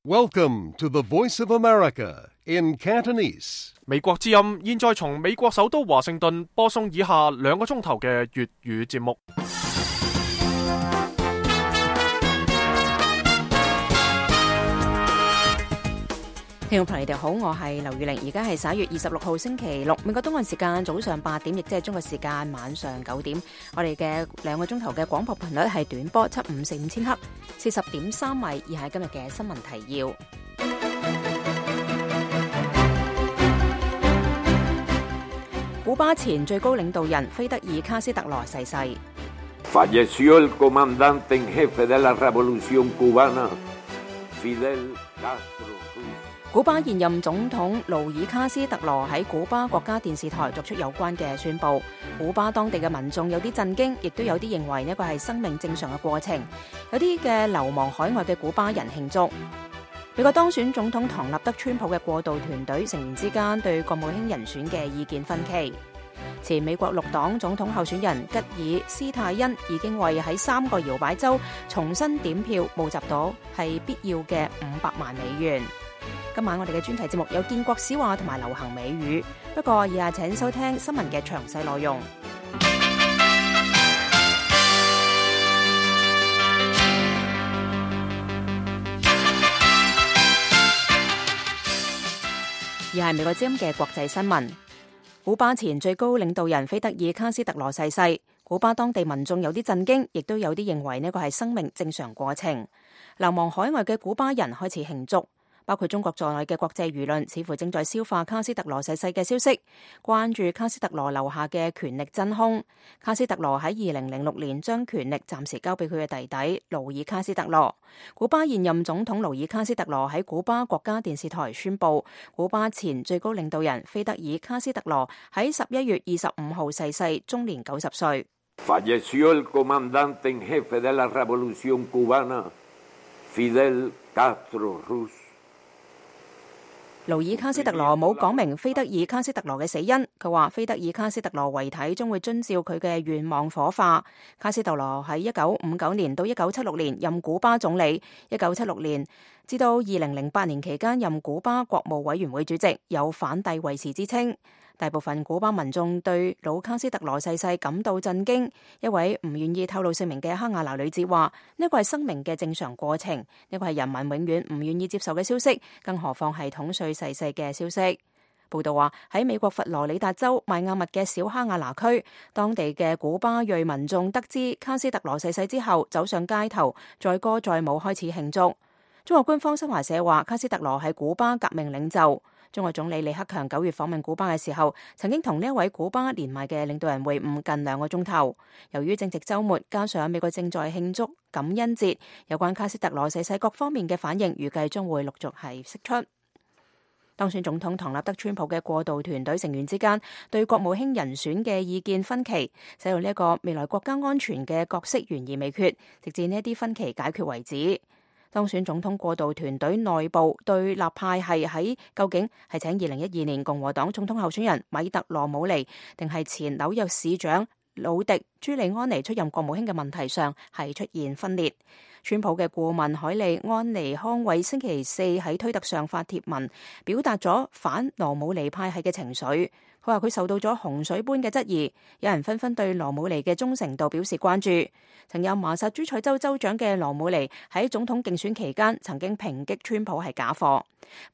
Welcome to the Voice of America in Cantonese. 美國之音現在從美國首都華盛頓播送以下2個鐘頭嘅粵語節目。聽眾朋友你哋好，我係劉宇玲，而家係11月26號星期六，美國東岸時間早上8點，亦即係中國時間晚上9點。我哋嘅2個鐘頭嘅廣播頻率係短波7545000赫，40.3米。以下係今日嘅新聞提要。古巴前最高領導人菲德爾卡斯特羅逝世。Falleció el comandante en jefe de la revolución cubana, Fidel Castro。古巴現任總統盧爾卡斯特羅喺古巴國家電視台作出有關嘅宣佈，古巴當地嘅民眾有啲震驚，亦都有啲認為呢個係生命正常嘅過程，有啲嘅流亡海外嘅古巴人慶祝。美國當選總統唐納德川普嘅過渡團隊成員之間對國務卿人選嘅意見分歧。前美國綠黨總統候選人吉爾斯泰恩已經為喺3個搖擺州重新點票募集到係必要嘅500萬美元。今晚我哋嘅專題節目有建國史話同埋流行美語，不過以下請收聽新聞嘅詳細內容。而係美國之音嘅國際新聞。古巴前最高領導人菲德爾卡斯特羅逝世，古巴當地民眾有啲震驚，亦都有啲認為呢個係生命正常過程。流亡海外嘅古巴人開始慶祝。包括中國在內嘅國際輿論似乎正在消化卡斯特羅逝世嘅消息，關注卡斯特羅留下嘅權力真空。卡斯特羅喺2006年將權力暫時交俾佢嘅弟弟盧爾卡斯特羅。古巴現任總統盧爾卡斯特羅喺古巴國家電視台宣佈，古巴前最高領導人菲德爾卡斯特羅喺11月25號逝世，終年90歲。Falleció el comandante en jefe de la revolución cubana, Fidel Castro Ruz。盧爾卡斯特羅冇講明菲德爾卡斯特羅嘅死因，佢話菲德爾卡斯特羅遺體將會遵照佢嘅願望火化。卡斯特羅喺1959年到1976年任古巴總理，1976年至到2008年期間任古巴國務委員會主席，有反帝衛士之稱。大部分古巴民眾對老卡斯特羅逝世感到震驚。一位唔願意透露姓名嘅哈瓦那女子話：呢個係生命嘅正常過程，呢個係人民永遠唔願意接受嘅消息，更何況係統帥逝世嘅消息。報道話喺美國佛羅里達州邁阿密嘅小哈瓦那區，當地嘅古巴裔民眾得知卡斯特羅逝世之後，走上街頭，載歌載舞開始慶祝。中國官方新華社話卡斯特羅係古巴革命領袖。中國總理李克強9月訪問古巴嘅時候，曾經同呢一位古巴年邁嘅領導人會晤近2個鐘頭。由於正值週末，加上美國正在慶祝感恩節，有關卡斯特羅逝世各方面嘅反應，預計將會陸續係釋出。當選總統唐納德川普嘅過渡團隊成員之間對國務卿人選嘅意見分歧，使到呢一個未來國家安全嘅角色懸而未決，直至呢一啲分歧解決為止。當選總統過渡團隊內部對立派係喺究竟係請2012年共和黨總統候選人米特羅姆尼，定係前紐約市長魯迪朱利安尼出任國務卿嘅問題上係出現分裂。川普嘅顧問海利安尼康偉星期四喺推特上發帖文，表達咗反羅姆尼派系嘅情緒。佢話佢受到咗洪水般嘅質疑，有人紛紛對羅姆尼嘅忠誠度表示關注。曾有麻薩諸塞州州長嘅羅姆尼喺總統競選期間曾經抨擊川普係假貨。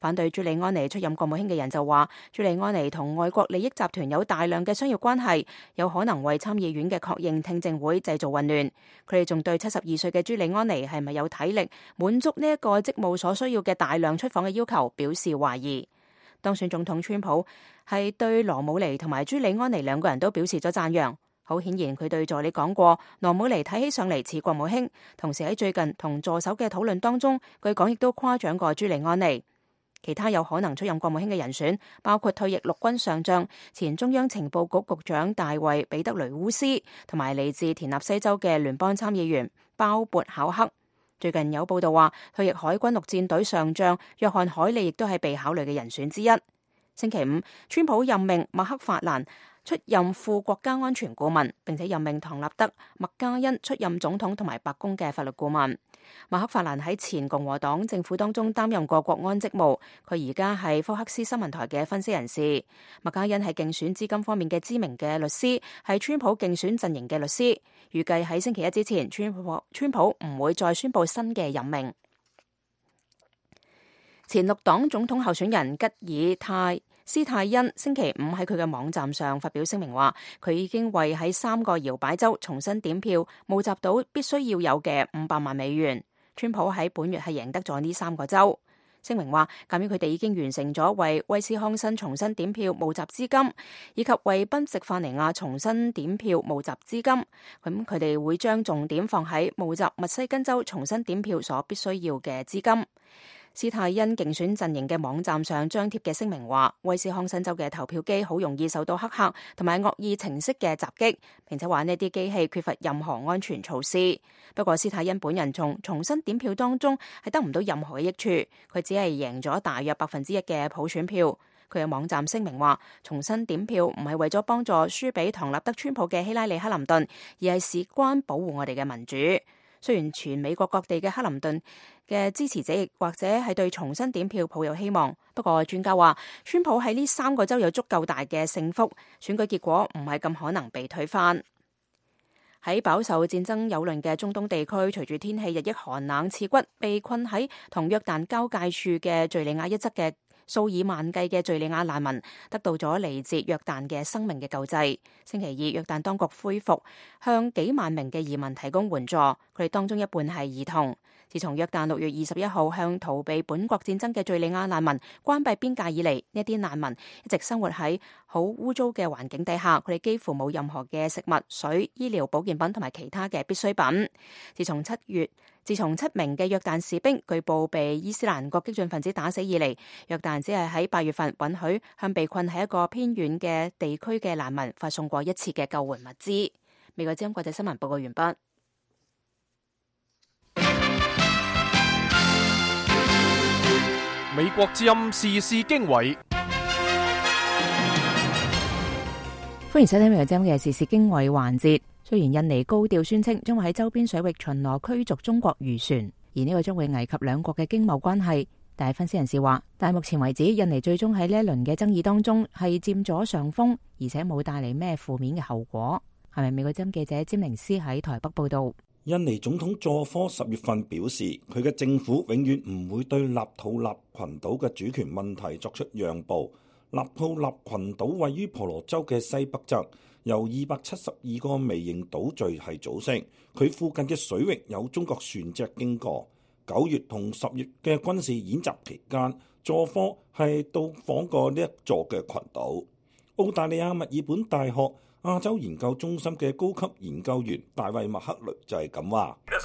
反對朱利安尼出任國務卿嘅人就話，朱利安尼同外國利益集團有大量嘅商業關係，有可能為參議院嘅確認聽證會製造混亂。佢哋仲對72歲嘅朱利安尼係咪有體力滿足呢一個職務所需要嘅大量出訪嘅要求表示懷疑。當選總統川普係對羅姆尼同埋朱利安尼2個人都表示咗讚揚。好顯然佢對助理講過，羅姆尼睇起上嚟似國務卿，同時喺最近同助手嘅討論當中，據講亦都誇獎過朱利安尼。其他有可能出任國務卿嘅人選包括退役陸軍上將、前中央情報局局長大衛彼得雷烏斯，同埋嚟自田納西州嘅聯邦參議員鮑勃考克。最近有報道話，退役海軍陸戰隊上將約翰海利亦都係被考慮嘅人選之一。星期五，川普任命麥克法蘭出任副國家安全顧問，並且任命唐納德·麥嘉恩出任總統同埋白宮嘅法律顧問。馬克法蘭喺前共和黨政府當中擔任過國安職務，佢而家係福克斯新聞台嘅分析人士。麥嘉恩係競選資金方面嘅知名嘅律師，係川普競選陣營嘅律師。預計喺星期一之前，川普唔會再宣布新嘅任命。前綠黨總統候選人吉爾斯泰恩星期五喺佢嘅網站上發表聲明話，佢已經為喺3個搖擺州重新點票募集到必須要有嘅$500萬。川普喺本月係贏得咗呢3個州。聲明話，鑑於佢哋已經完成咗為威斯康辛重新點票募集資金，以及為賓夕法尼亞重新點票募集資金，咁佢哋會將重點放喺募集密西根州重新點票所必須要嘅資金。斯泰恩競選陣營嘅網站上張貼嘅聲明話，威斯康辛州嘅投票機好容易受到黑客同埋惡意程式嘅襲擊，並且話呢啲機器缺乏任何安全措施。不過斯泰恩本人從重新點票當中係得唔到任何嘅益處，佢只係贏咗大約1%嘅普選票。佢嘅網站聲明話，重新點票唔係為咗幫助輸俾唐納德川普嘅希拉里克林頓，而係事關保護我哋嘅民主。雖然全美國各地嘅克林頓嘅支持者亦或者係對重新點票抱有希望，不過專家話，川普喺呢3個州有足夠大嘅勝幅，選舉結果唔係咁可能被推翻。喺飽受戰爭蹂躪嘅中東地區，隨住天氣日益寒冷刺骨，被困喺同約旦交界處嘅敘利亞一側嘅數以萬計嘅敘利亞難民得到咗嚟自約旦嘅生命嘅救濟。星期二，約旦當局恢復向幾萬名嘅移民提供援助，佢哋當中一半係兒童。自從約旦6月21號向逃避本國戰爭嘅敘利亞難民關閉邊界以嚟，呢啲難民一直生活喺好污糟嘅環境底下，佢哋幾乎冇任何嘅食物、水、醫療保健品同埋其他嘅必需品。自從7名嘅約旦士兵據報被伊斯蘭國激進分子打死以嚟，約旦只係喺8月份允許向被困喺一個偏遠嘅地區嘅難民發送過一次嘅救援物資。美國之音國際新聞報告完畢。美國之音時事經緯，歡迎收聽美國之音嘅時事經緯環節。雖然印尼高調宣稱將會喺周邊水域巡邏驅逐中國漁船，而呢個將會危及兩國嘅經貿關係，但係分析人士話，但係目前為止，印尼最終喺呢一輪嘅爭議當中係佔咗上風，而且冇帶嚟咩負面嘅後果。係咪？美國之音記者詹寧斯喺台北報道。印尼總統佐科10月份表示，佢嘅政府永遠唔會對納土納群島嘅主權問題作出讓步。納土納群島位於婆羅洲嘅西北側，由272個微型島嶼係組成。佢附近嘅水域有中國船隻經過。9月同10月嘅軍事演習期間，佐科係到訪過呢一座嘅群島。澳大利亞墨爾本大學亞洲研究中心嘅高級研究員大衛麥克雷就係咁話。麥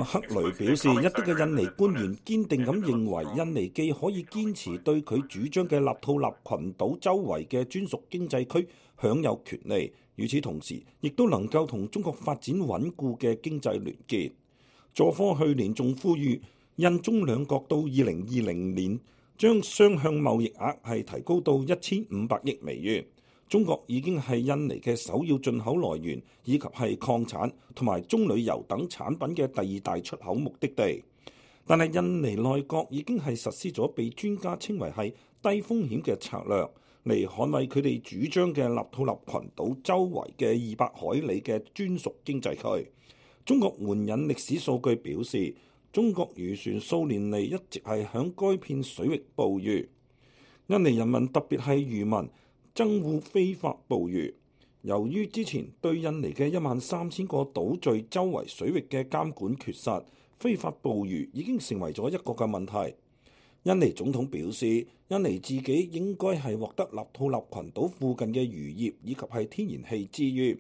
克雷表示，一啲嘅印尼官員堅定咁認為，印尼既可以堅持對佢主張嘅納土納群島周圍嘅專屬經濟區享有權利，與此同時，亦都能夠同中國發展穩固嘅經濟聯結。佐科去年仲呼籲印中兩國到2020年將雙向貿易額係提高到1500億美元。中國已經係印尼嘅首要進口來源，以及係礦產同埋棕櫚油等產品嘅第2大出口目的地。但係印尼內閣已經係實施咗被專家稱為係低風險嘅策略，嚟捍衛佢哋主張嘅納土納群島周圍嘅200海里嘅專屬經濟區。中國援引歷史數據表示，中國漁船數年嚟一直係響該片水域捕魚。印尼人民特別係漁民憎惡非法捕魚。由於之前對印尼嘅13000個島嶼周圍水域嘅監管缺失，非法捕魚已經成為咗一個嘅問題。印尼總統表示，印尼自己應該係獲得納土納群島附近嘅漁業以及係天然氣資源。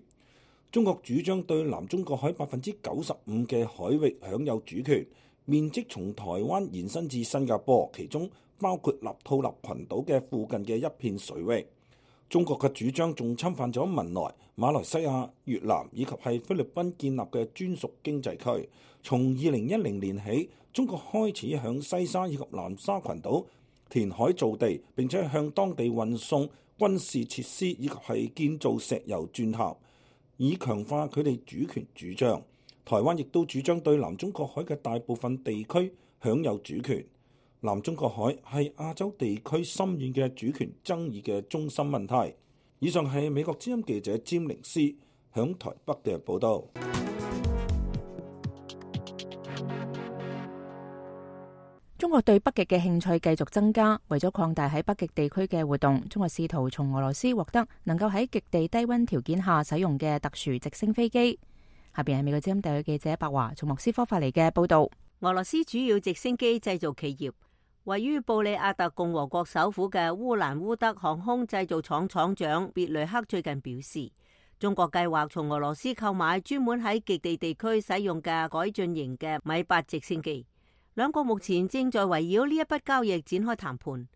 中國主張對南中國海95%嘅海域享有主權，面積從台灣延伸至新加坡，其中包括納土納群島嘅附近嘅一片水域。中國嘅主張仲侵犯咗文萊、馬來西亞、越南以及係菲律賓建立嘅專屬經濟區。從2010年起，中國開始向西沙以及南沙群島填海造地，並且向當地運送軍事設施以及係建造石油鑽塔，以強化佢哋主權主張。台灣亦都主張對南中國海嘅大部分地區享有主權。南中國海係亞洲地區深遠嘅主權爭議嘅中心問題。以上係美國之音記者詹寧斯響台北嘅報道。中國對北極嘅興趣繼續增加，為咗擴大喺北極地區嘅活動，中國試圖從俄羅斯獲得能夠喺極地低溫條件下使用嘅特殊直升飛機。下邊係美國之音特約記者白華從莫斯科發嚟嘅報道。俄羅斯主要直升機製造企業位於布里亞特共和國首府嘅烏蘭烏德航空製造廠廠長別雷克最近表示，中國計劃從俄羅斯購買專門喺極地地區使用嘅改進型嘅米八直升機。兩國目前正在圍繞呢一筆交易展開談判。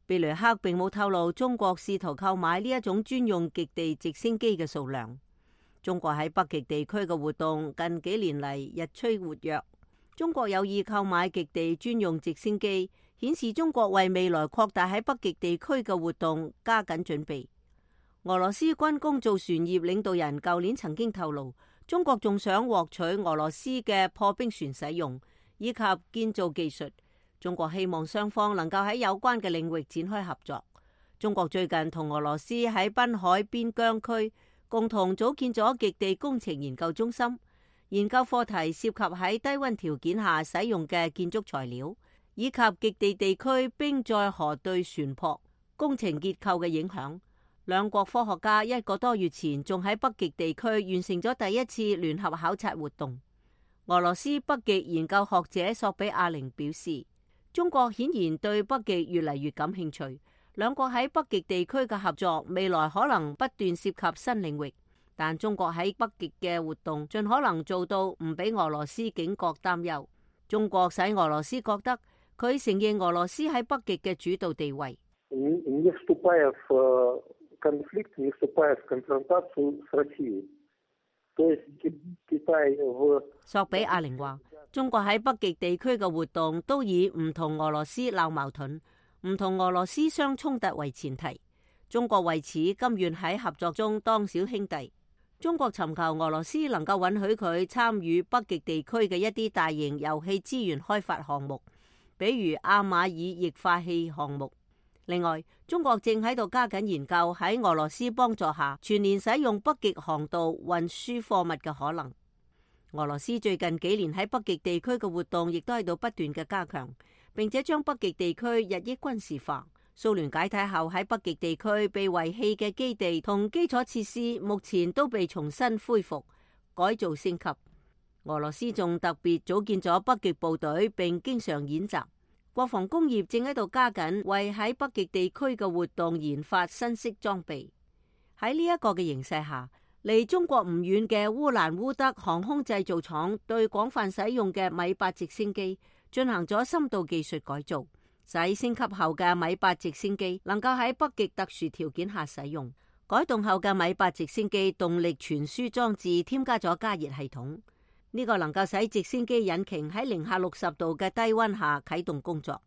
別雷克並冇透露中國試圖購買呢一種專用極地直升機嘅數量。中國喺北極地區嘅活動近幾年嚟日趨活躍。中國有意購買極地專用直升機，顯示中國為未來擴大喺北極地區嘅活動加緊準備。俄羅斯軍工造船業領導人舊年曾經透露，中國仲想獲取俄羅斯嘅破冰船使用以及建造技術。中國希望雙方能夠喺有關嘅領域展開合作。中國最近同俄羅斯喺濱海邊疆區共同組建咗極地工程研究中心，研究課題涉及喺低溫條件下使用嘅建築材料，以及極地地區冰載河對船舶工程結構嘅影響。兩國科學家一個多月前仲喺北極地區完成咗第一次聯合考察活動。俄羅斯北極研究學者索比亞寧表示，中國顯然對北極越嚟越感興趣。兩國喺北極地區嘅合作未來可能不斷涉及新領域，但中國喺北極嘅活動盡可能做到唔俾俄羅斯警覺擔憂。中國使俄羅斯覺得佢承認俄羅斯喺北極嘅主導地位。索比亞寧話，中國喺北極地區嘅活動都以唔同俄羅斯鬧矛盾、唔同俄羅斯相衝突為前提。中國為此甘願喺合作中當小兄弟。中國尋求俄羅斯能夠允許佢參與北極地區嘅一啲大型油氣資源開發項目，比如阿馬爾液化氣項目。另外，中國正喺度加緊研究喺俄羅斯幫助下全年使用北極航道運輸貨物嘅可能。俄羅斯最近幾年喺北極地區嘅活動亦都喺度不斷嘅加強，並且將北極地區日益軍事化。蘇聯解體後喺北極地區被遺棄嘅基地同基礎設施目前都被重新恢復、改造升級。俄羅斯仲特別組建咗北極部隊，並經常演習。國防工業正喺度加緊為喺北極地區嘅活動研發新式裝備。喺呢一個嘅形勢下，離中國唔遠嘅烏蘭烏德航空製造廠對廣泛使用嘅米八直升機進行咗深度技術改造，使升級後嘅米八直升機能夠喺北極特殊條件下使用。改動後嘅米八直升機動力傳輸裝置添加咗加熱系統。呢個能夠使直升機引擎喺零下60度嘅低溫下啟動工作。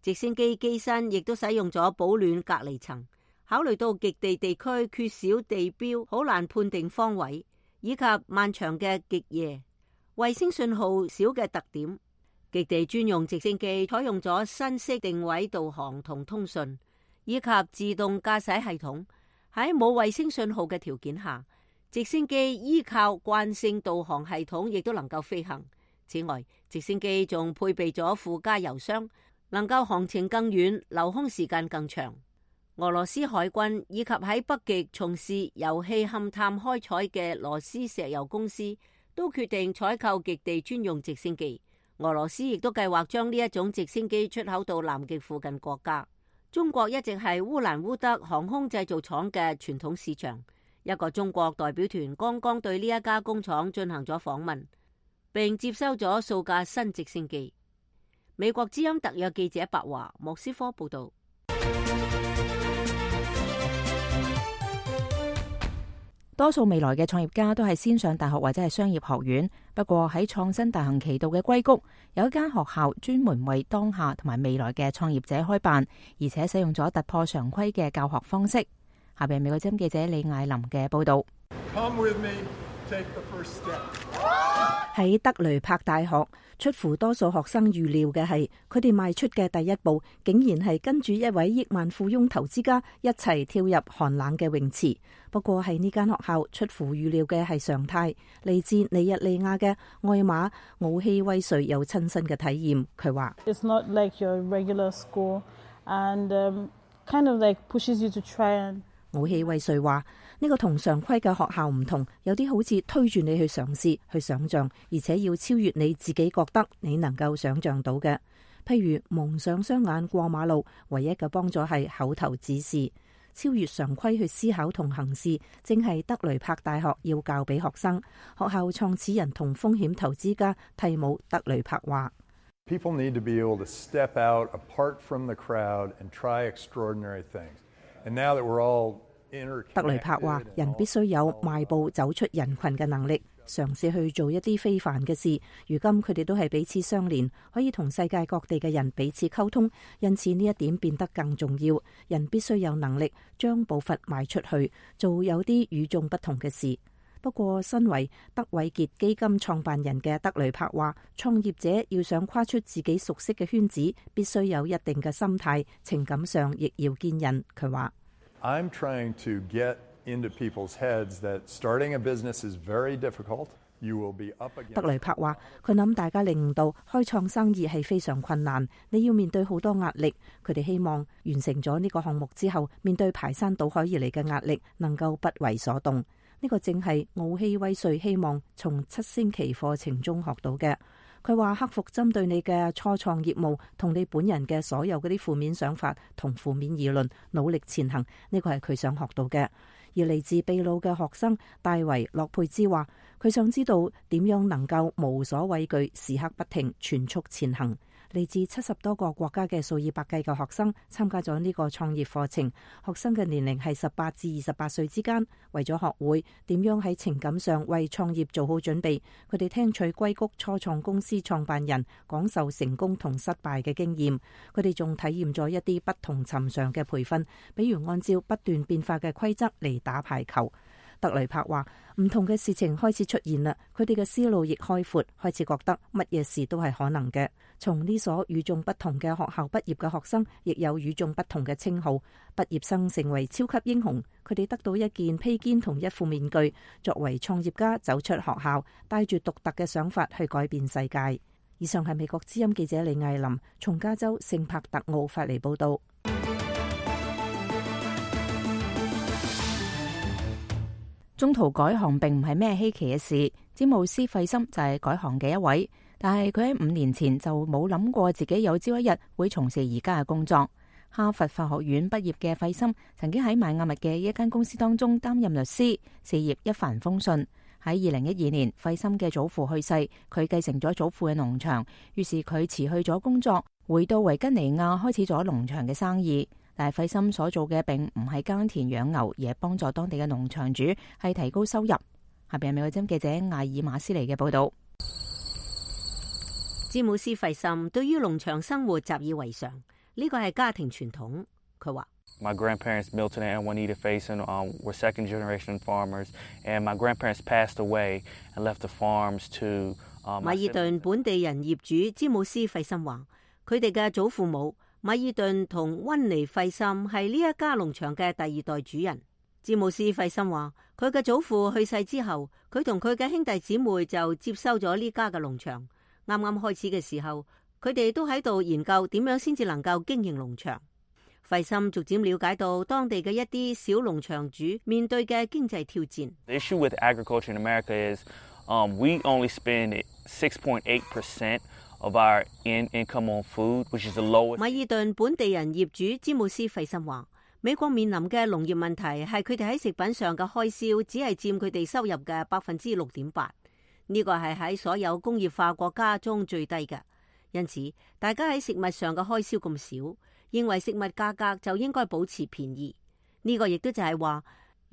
直升機機身亦都使用咗保暖隔離層。考慮到極地地區缺少地標，好難判定方位，以及漫長嘅極夜、衛星信號少嘅特點，極地專用直升機採用咗新式定位導航同通訊，以及自動駕駛系統。喺冇衛星信號嘅條件下，直升機依靠慣性導航系統亦都能夠飛行。此外，直升機仲配備咗附加油箱，能夠航程更遠，留空時間更長。俄羅斯海軍以及喺北極從事油氣勘探開採嘅羅斯石油公司都決定採購極地專用直升機。俄羅斯亦都計劃將呢一種直升機出口到南極附近國家。中國一直係烏蘭烏德航空製造廠嘅傳統市場。一個中國代表團剛剛對呢一家工廠進行咗訪問，並接收咗數架新直升機。美國之音特約記者白華，莫斯科報道。多數未來嘅創業家都係先上大學或者係商業學院。不過喺創新大行其道嘅硅谷，有一間學校專門為當下同埋未來嘅創業者開辦，而且使用咗突破常規嘅教學方式。下邊美國之音記者李艾琳嘅報道。喺德雷柏大學，出乎多數學生預料嘅係，佢哋邁出嘅第一步，竟然係跟住一位億萬富翁投資家一齊跳入寒冷嘅泳池。不過喺呢間學校，出乎預料嘅係常態。嚟自尼日利亞嘅艾瑪奧希威瑞有親身嘅體驗，佢話：It's not like your regular school, and kind of like pushes you to try and。奧希威瑞話：呢個同常規嘅學校唔同，有啲好似推住你去嘗試、去想像，而且要超越你自己覺得你能夠想像到嘅。譬如蒙上雙眼過馬路，唯一嘅幫助係口頭指示。超越常規去思考同行事，正係德雷柏大學要教俾學生。學校創始人同風險投資家蒂姆·德雷柏話：People need to be able to step out apart from the crowd and try extraordinary things. And now that we're all interconnected，德雷柏話：人必須有邁步走出人群嘅能力，嘗試去做一啲非凡嘅事。如今佢哋都係彼此相連，可以同世界各地嘅人彼此溝通，因此呢一點變得更重要。人必須有能力將步伐邁出去，做有啲與眾不同嘅事。不過，身為德偉傑基金創辦人嘅德雷柏話，創業者要想跨出自己熟悉嘅圈子，必須有一定嘅心態，情感上亦要堅韌。佢話：I'm trying to get into people's heads that starting a business is very difficult. You will be up against。德雷柏話：佢諗大家領悟到開創生意係非常困難，你要面對好多壓力。佢哋希望完成咗呢個項目之後，面對排山倒海而嚟嘅壓力，能夠不為所動。呢個正係奧希威瑞希望從7星期課程中學到嘅。佢話克服針對你嘅初創業務同你本人嘅所有嗰啲負面想法同負面議論，努力前行。呢個係佢想學到嘅。而嚟自秘魯嘅學生戴維洛佩茲話，佢想知道點樣能夠無所畏懼，時刻不停，全速前行。嚟自70多個國家嘅數以百計嘅學生參加咗呢個創業課程，學生嘅年齡係18至28歲之間。為咗學會點樣喺情感上為創業做好準備，佢哋聽取硅谷初創公司創辦人講授成功同失敗嘅經驗。佢哋仲體驗咗一啲不同尋常嘅培訓，比如按照不斷變化嘅規則嚟打排球。德雷柏話：唔同嘅事情開始出現啦，佢哋嘅思路亦開闊，開始覺得乜嘢事都係可能嘅。從呢所與眾不同嘅學校畢業嘅學生，亦有與眾不同嘅稱號。畢業生成為超級英雄，佢哋得到一件披肩同一副面具，作為創業家走出學校，帶住獨特嘅想法去改變世界。以上係美國之音記者李艾琳從加州聖帕特奧發嚟報道。中途改行並唔係咩稀奇嘅事，詹姆斯費森就係改行嘅一位，但係佢喺5年前就冇諗過自己有朝一日會從事而家嘅工作。哈佛法學院畢業嘅費森曾經喺邁阿密嘅一間公司當中擔任律師，事業一帆風順。喺2012年，費森嘅祖父去世，佢繼承咗祖父嘅農場，於是佢辭去咗工作，回到維吉尼亞開始咗農場嘅生意。但係費森所做嘅並唔係耕田養牛，而係幫助當地嘅農場主係提高收入。下邊係美國之音記者艾爾馬斯尼嘅報道。詹姆斯費森對於農場生活習以為常，呢個係家庭傳統。佢話：My grandparents Milton and Juanita Faison were second generation farmers, and my grandparents passed away and left the farms to。米爾頓本地人業主詹姆斯費森話：佢哋嘅祖父母米爾頓同溫尼費森係呢一家農場嘅第2代主人。詹姆斯費森話：佢嘅祖父去世之後，佢同佢嘅兄弟姊妹就接收咗呢家嘅農場。啱啱開始嘅時候，佢哋都喺度研究點樣先至能夠經營農場。費森逐漸了解到當地嘅一啲小農場主面對嘅經濟挑戰。The issue with agriculture in America is, we only spend 6.8% of our income on food, which is the lowest。米爾頓本地人業主詹姆斯費森話：美國面臨嘅農業問題係佢哋喺食品上嘅開銷只係佔佢哋收入嘅6.8%，呢個係喺所有工業化國家中最低嘅。因此，大家喺食物上嘅開銷咁少，認為食物價格就應該保持便宜。呢個亦都就係話，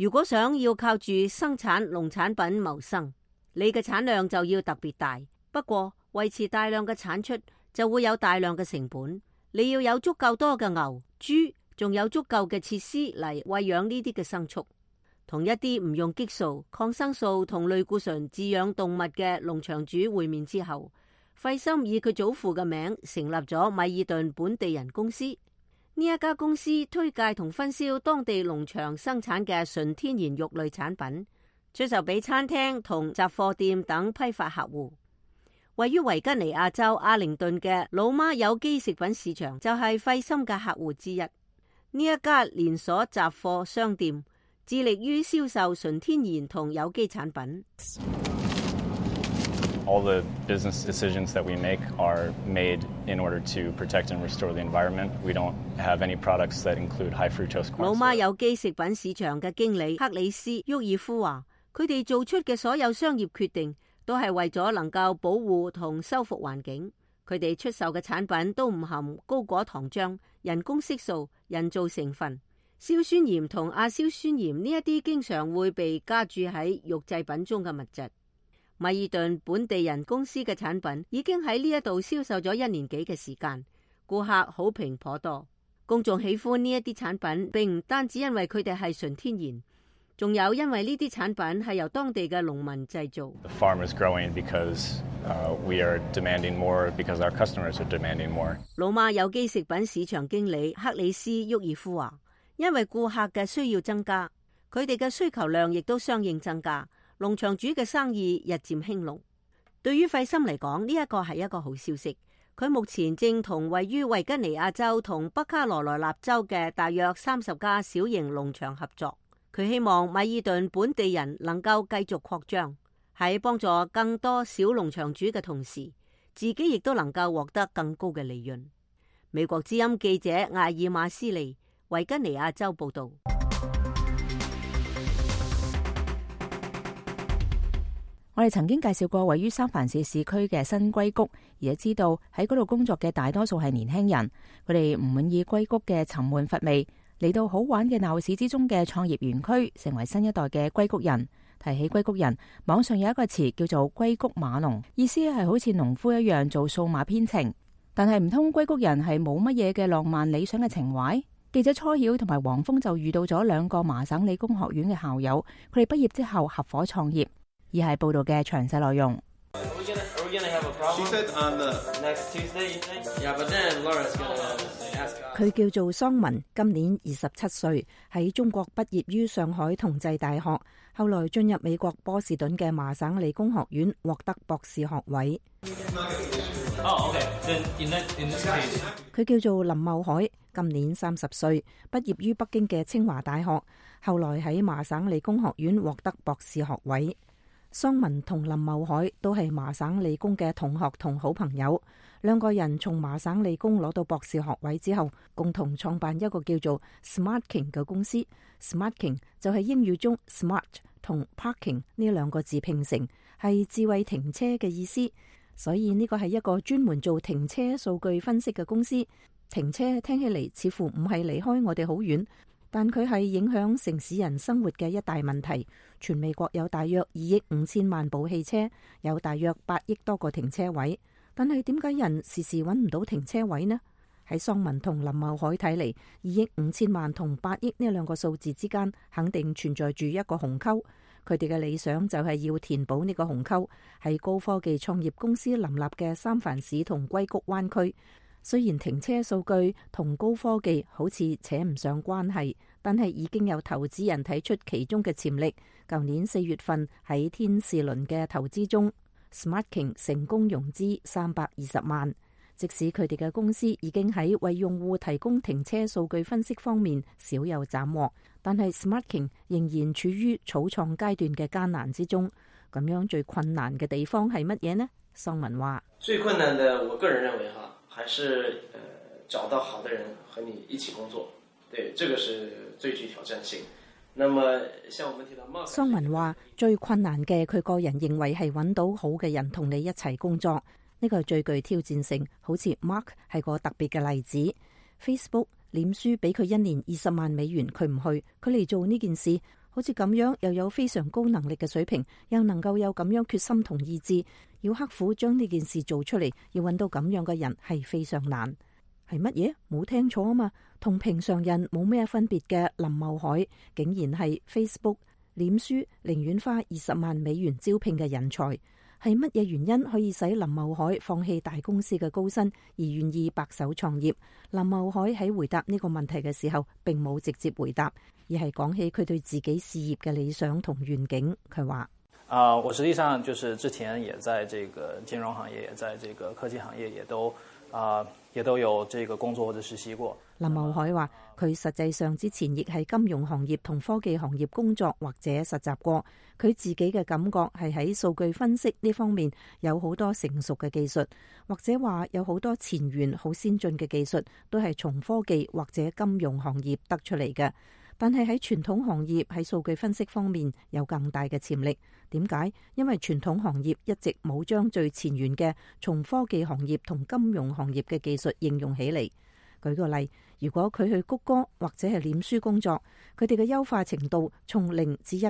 如果想要靠住生產農產品謀生，你嘅產量就要特別大。不過維持大量嘅產出就會有大量嘅成本。你要有足夠多嘅牛、豬，仲有足夠嘅設施嚟餵養呢啲嘅牲畜。同一啲唔用激素、抗生素同類固醇飼養動物嘅農場主會面之後，費森以佢祖父嘅名成立咗米爾頓本地人公司。呢一家公司推介同分銷當地農場生產嘅純天然肉類產品，出售俾餐廳同雜貨店等批發客戶。位於維吉尼亞州阿靈頓嘅老媽有機食品市場就係費森嘅客戶之一。呢一家連鎖雜貨商店致力於銷售純天然同有機產品。All the business decisions that we make are made in order to protect and restore the environment. We don't have any products that include high fructose corn syrup. 老媽有機食品市場嘅經理克里斯·沃爾夫話，佢哋做出嘅所有商業決定都係為咗能夠保護同修復環境。佢哋出售嘅產品都唔含高果糖漿、人工色素、人造成分、硝酸鹽同亞硝酸鹽呢一啲經常會被加注喺肉製品中嘅物質。米爾頓本地人公司嘅產品已經喺呢一度銷售咗1年幾嘅時間，顧客好評頗多。公眾喜歡呢一啲產品，並唔單止因為佢哋係純天然，仲有因為呢啲產品係由當地嘅農民製造。The farm is growing because we are demanding more, because our customers are demanding more. 老媽有機食品市場經理克里斯·沃爾夫話，因為顧客嘅需要增加，佢哋嘅需求量亦都相應增加。農場主嘅生意日漸興隆。對於費森嚟講，呢一個係一個好消息。佢目前正同位於維吉尼亞州同北卡羅來納州嘅大約30家小型農場合作。佢希望米爾頓本地人能夠繼續擴張，喺幫助更多小農場主嘅同時，自己亦都能夠獲得更高嘅利潤。美國之音記者艾爾馬斯利，維吉尼亞州報導。我哋曾經介紹過位於三藩市市區嘅新硅谷，而家知道喺嗰度工作嘅大多數係年輕人，佢哋唔滿意硅谷嘅沉悶乏味，嚟到好玩嘅鬧市之中嘅創業園區，成為新一代嘅硅谷人。提起硅谷人，網上有一個詞叫做硅谷碼農，意思係好似農夫一樣做數碼編程。但係唔通硅谷人係冇乜嘢嘅浪漫理想嘅情懷？記者初曉同埋黃蜂就遇到咗2個麻省理工學院嘅校友，佢哋畢業之後合夥創業。而係報道嘅詳細內容。佢叫做桑文，今年27歲，喺中國畢業於上海同濟大學，後來進入美國波士頓嘅麻省理工學院，獲得博士學位。佢叫做林茂海，今年30歲，畢業於北京嘅清華大學，後來喺麻省理工學院獲得博士學位。桑文同林茂海都係麻省理工嘅同學同好朋友，2個人從麻省理工攞到博士學位之後，共同創辦一個叫做 SmartKing 嘅公司。SmartKing 就係英語中 smart 同 parking 呢2個字拼成，係智慧停車嘅意思。所以呢個係一個專門做停車數據分析嘅公司。停車聽起嚟似乎唔係離開我哋好遠，但佢係影響城市人生活嘅一大問題。全美國有大約2億5千萬部汽車，有大約8億多個停車位。但係點解人時時揾唔到停車位呢？喺桑文同林茂海睇嚟，2億5千萬同8億呢2個數字之間肯定存在住一個鴻溝。佢哋嘅理想就係要填補呢個鴻溝。喺高科技創業公司林立嘅三藩市同硅谷灣區，雖然停車數據同高科技好似扯唔上關係，但係已經有投資人睇出其中嘅潛力。舊年4月份喺天使輪嘅投資中， SmartKing 成功融資320萬。即使佢哋嘅公司已經喺為用戶提供停車數據分析方面少有斬獲，但係 SmartKing 仍然處於草創階段嘅艱難之中。咁樣最困難嘅地方係乜嘢呢？桑文話：最困難的，我個人認為還是找到好的人和你一起工作。對，這個是最具挑戰性。那麼像我們提到桑文話，最困難嘅佢個人認為係揾到好嘅人同你一齊工作，呢個係最具挑戰性。好似 Mark 係個特別嘅例子。 Facebook 臉書俾佢1年20萬美元，佢唔去，佢嚟做呢件事。好似咁樣又有非常高能力嘅水平，又能夠有咁樣決心同意志，要刻苦將呢件事做出嚟，要揾到咁樣嘅人係非常難。係乜嘢？冇聽錯啊嘛，同平常人冇咩分別嘅林茂海，竟然係 Facebook 臉書寧願花20萬美元招聘嘅人才。係乜嘢原因可以使林茂海放棄大公司嘅高薪而願意白手創業？林茂海喺回答呢個問題嘅時候，並冇直接回答，而係講起佢對自己事業嘅理想同願景。佢話：我實際上就是之前也在這個金融行業，也在這個科技行業，也都有這個工作或者實習過。林茂海話：佢實際上之前亦喺金融行業同科技行業工作或者實習過。佢自己嘅感覺係喺數據分析呢方面有好多成熟嘅技術，或者話有好多前沿好先進嘅技術都係從科技或者金融行業得出嚟嘅。但係喺傳統行業喺數據分析方面有更大嘅潛力。點解？因為傳統行業一直冇將最前沿嘅從科技行業同金融行業嘅技術應用起嚟。舉個例，如果佢去谷歌或者係臉書工作，佢哋嘅優化程度從0至100，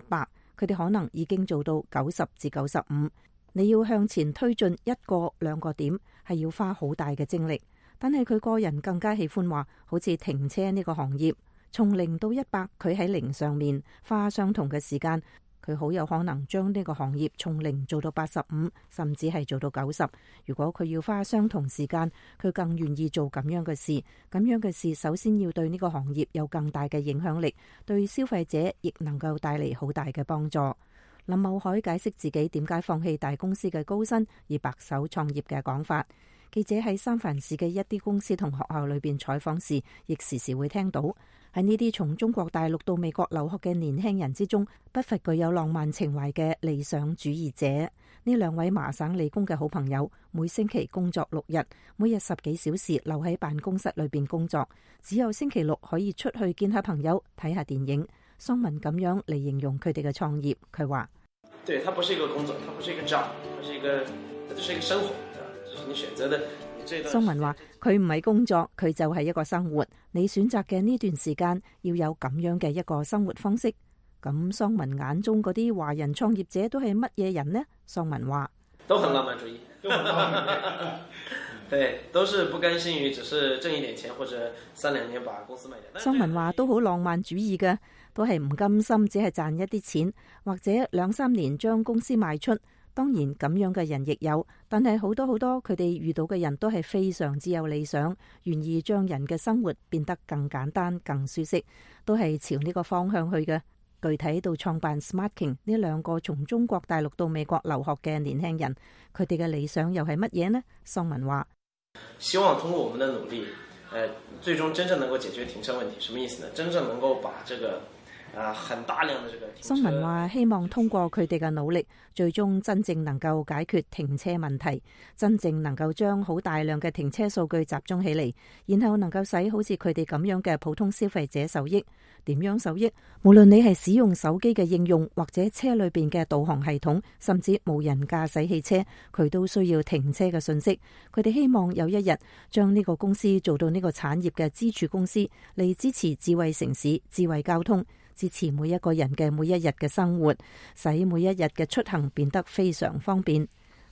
佢哋可能已經做到90至95。你要向前推進1個2個點，係要花好大嘅精力。但係佢個人更加喜歡話，好似停車呢個行業，從0到100，佢喺0上面花相同嘅時間，佢好有可能將呢個行業從0做到85，甚至係做到90。如果佢要花相同時間，佢更願意做咁樣嘅事。咁樣嘅事首先要對呢個行業有更大嘅影響力，對消費者亦能夠帶嚟好大嘅幫助。林茂海解釋自己點解放棄大公司嘅高薪而白手創業嘅講法。記者喺三藩市嘅一啲公司同學校裏邊採訪時，亦時時會聽到喺呢啲從中國大陸到美國留學嘅年輕人之中，不乏具有浪漫情懷嘅理想主義者。呢兩位麻省理工嘅好朋友，每星期工作6日，每日10幾小時留喺辦公室裏邊工作，只有星期6可以出去見下朋友、睇下電影。桑文咁樣嚟形容佢哋嘅創業。佢話：對，它不是一個工作，它不是一個 job，它是一個生活。桑文話：佢唔係工作，佢就係一個生活。你選擇嘅呢段時間要有咁樣嘅一個生活方式。咁桑文眼中嗰啲華人創業者都係乜嘢人呢？桑文話：都很浪漫主義，對，都是不甘心於只是掙一點錢，或者3-2年把公司賣掉。桑文話：都好浪漫主義嘅，都係唔甘心只係賺一啲錢，或者2-3年將公司賣出。當然咁樣嘅人亦有，但係好多佢哋遇到嘅人都係非常之有理想，願意將人嘅生活變得更簡單、更舒適，都係朝呢個方向去嘅。具體到創辦 SmartKing 呢2個從中國大陸到美國留學嘅年輕人，佢哋嘅理想又係乜嘢呢？桑文話：希望通過我們的努力，最終真正能夠解決停車問題。什麼意思呢？真正能夠把這個很大量的這個停車。桑文話：希望通過佢哋嘅努力，最終真正能夠解決停車問題，真正能夠將好大量嘅停車數據集中起嚟，然後能夠使好似佢哋咁樣嘅普通消費者受益。點樣受益？無論你係使用手機嘅應用，或者車裏邊嘅導航系統，甚至無人駕駛汽車，佢都需要停車嘅信息。佢哋希望有一日將呢個公司做到呢個產業嘅支柱公司，嚟支持智慧城市、智慧交通，支持每一個人嘅每一日嘅生活，使每一日嘅出行變得非常方便。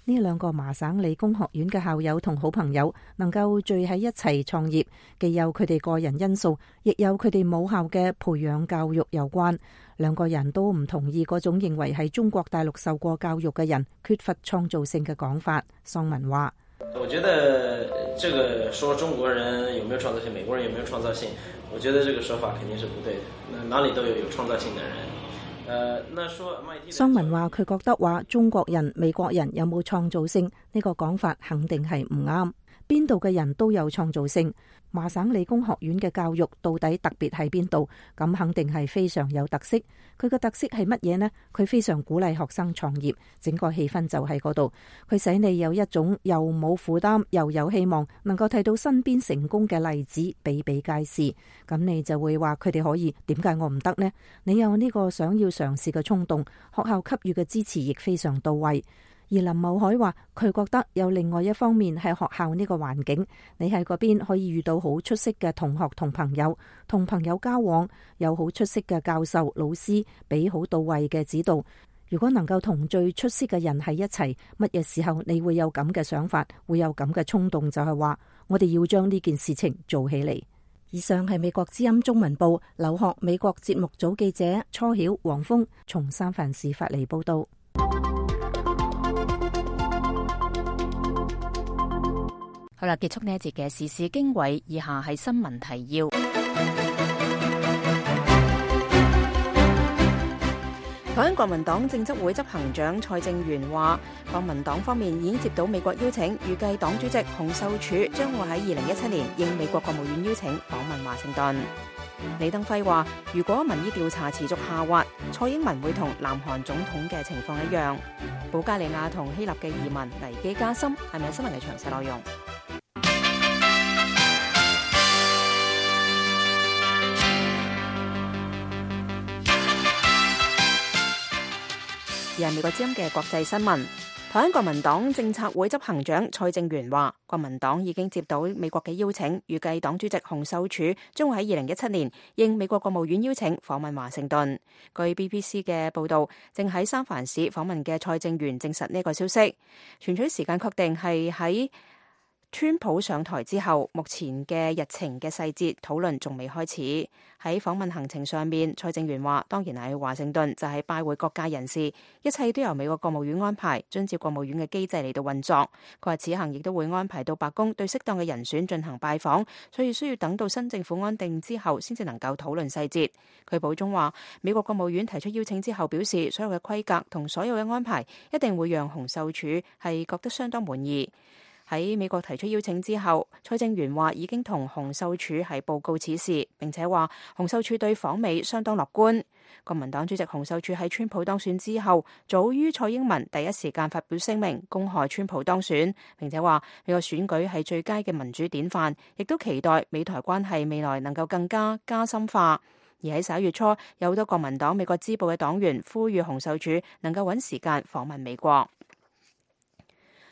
呢2個麻省理工學院嘅校友同好朋友能夠聚喺一齊創業，既有佢哋個人因素，亦有佢哋母校嘅培養教育有關。2個人都唔同意嗰種認為喺中國大陸受過教育嘅人缺乏創造性嘅講法。桑文話：我覺得這個說中國人有沒有創造性，美國人有沒有創造性，我覺得這個說法肯定是不對的。哪裡都有創造性的人。桑文話：佢覺得話中國人、美國人有冇創造性呢個講法肯定係唔啱。邊度嘅人都有創造性。麻省理工學院嘅教育到底特別喺邊度？咁肯定係非常有特色。佢嘅特色係乜嘢呢？佢非常鼓勵學生創業，整個氣氛就喺嗰度。佢使你有一種又冇負擔又有希望，能夠睇到身邊成功嘅例子比比皆是。咁你就會話佢哋可以，點解我唔得呢？你有呢個想要嘗試嘅衝動，學校給予嘅支持亦非常到位。而林茂海話佢覺得有另外一方面係學校呢個環境，你喺嗰邊可以遇到好出色嘅同學同朋友，同朋友交往，有好出色嘅教授老師俾好到位嘅指導。如果能夠同最出色嘅人喺一齊，乜嘢時候你會有咁嘅想法，會有咁嘅衝動，就係話我哋要將呢件事情做起嚟。以上係美國之音中文部留學美國節目組記者初曉、黃峰從三藩市發嚟報道。好啦，結束呢一節嘅時事經緯，以下係新聞提要。台灣國民黨政執會執行長蔡正元話，國民黨方面已經接到美國邀請，預計黨主席洪秀柱將會喺2017年應美國國務院邀請訪問華盛頓。李登輝話，如果民意調查持續下滑，蔡英文會同南韓總統嘅情況一樣。保加利亞同希臘嘅移民危機加深，係咪新聞嘅詳細內容？而係美國之音嘅國際新聞，台灣國民黨政策會執行長蔡正元話，國民黨已經接到美國嘅邀請，預計黨主席洪秀柱將會喺2017年應美國國務院邀請訪問華盛頓。據 BBC 嘅報道，正喺三藩市訪問嘅蔡正元證實呢個消息，傳取時間確定係喺川普上台之後，目前嘅日程嘅細節討論仲未開始。喺訪問行程上面，蔡正元話，當然喺華盛頓就係拜會各界人士，一切都由美國國務院安排，遵照國務院嘅機制嚟到運作。佢話此行亦都會安排到白宮，對適當嘅人選進行拜訪，所以需要等到新政府安定之後，先至能夠討論細節。佢補充話，美國國務院提出邀請之後，表示所有嘅規格同所有嘅安排一定會讓洪秀柱係覺得相當滿意。喺美國提出邀請之後，蔡正元話已經同洪秀柱係報告此事，並且話洪秀柱對訪美相當樂觀。國民黨主席洪秀柱喺川普當選之後，早於蔡英文第一時間發表聲明，恭賀川普當選，並且話美國選舉係最佳嘅民主典範，亦都期待美台關係未來能夠更加深化。而喺11月初，有好多國民黨美國支部嘅黨員呼籲洪秀柱能夠揾時間訪問美國。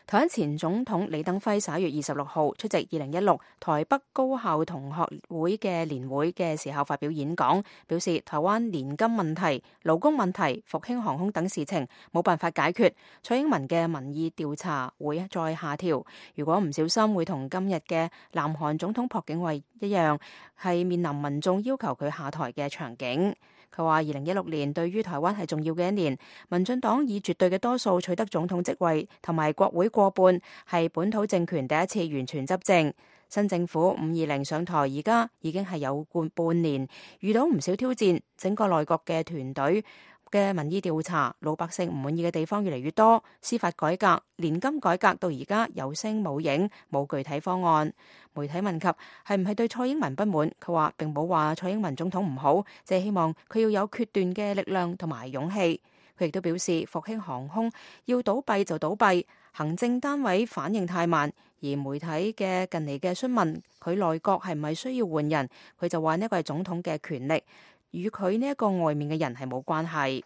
台灣前總統李登輝11月26號出席2016台北高校同學會嘅年會嘅時候發表演講，表示台灣年金問題、勞工問題、復興航空等事情冇辦法解決，蔡英文嘅民意調查會再下調，如果唔小心會同今日嘅南韓總統朴槿惠一樣，係面臨民眾要求佢下台嘅場景。佢話2016年對於台灣係重要嘅一年，民進黨以絕對嘅多數取得總統職位同埋國會過半，係本土政權第一次完全執政。新政府520上台，而家已經係有半年，遇到唔少挑戰，整個內閣嘅團隊嘅民意調查，老百姓唔滿意嘅地方越嚟越多，司法改革、年金改革到而家有聲冇影，冇具體方案。媒體問及係唔係對蔡英文不滿，佢話並冇話蔡英文總統唔好，只係希望佢要有決斷嘅力量同埋勇氣。佢亦都表示復興航空要倒閉就倒閉，行政單位反應太慢，而媒體嘅近嚟嘅詢問佢內閣係唔係需要換人，佢就話呢個係總統嘅權力，與佢呢一個外面嘅人係冇關係。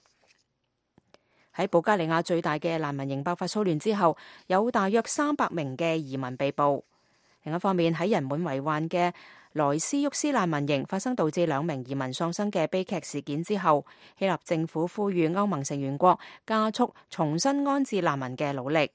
喺保加利亞最大嘅難民營爆發騷亂之後，有大約300名嘅移民被捕。另一方面，喺人滿為患嘅萊斯沃斯難民營發生導致2名移民喪生嘅悲劇事件之後，希臘政府呼籲歐盟成員國加速重新安置難民嘅努力。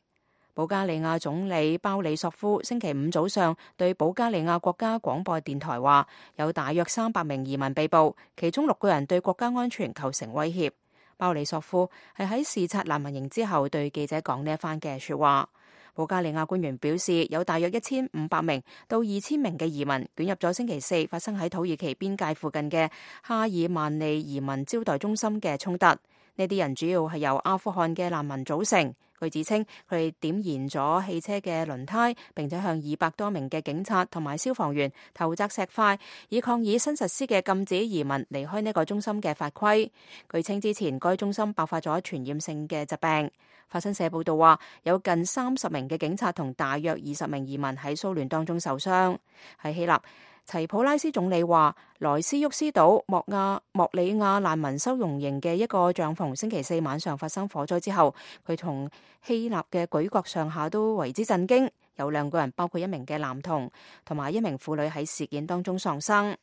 保加利亞總理鮑里索夫星期五早上對保加利亞國家廣播電台話，有大約300名移民被捕，其中6個人對國家安全構成威脅。鮑里索夫係喺視察難民營之後對記者講呢一番嘅說話。保加利亞官員表示，有大約1500名到2000名嘅移民捲入咗星期4發生喺土耳其邊界附近嘅哈爾曼利移民招待中心嘅衝突。呢啲人主要係由阿富汗嘅難民組成。據指稱，佢哋點燃咗汽車嘅輪胎，並且向200多名嘅警察同埋消防員投擲石塊，以抗議新實施嘅禁止移民離開呢個中心嘅法規。據稱之前該中心爆發咗傳染性嘅疾病。法新社報道話，有近30名嘅警察同大約20名移民喺騷亂當中受傷。喺希臘，齊普拉斯總理話，萊斯沃斯島莫里亞難民收容營嘅一個帳篷星期四晚上發生火災之後，佢同希臘嘅舉國上下都為之震驚，有2個人，包括一名嘅男童同埋一名婦女喺事件當中喪生。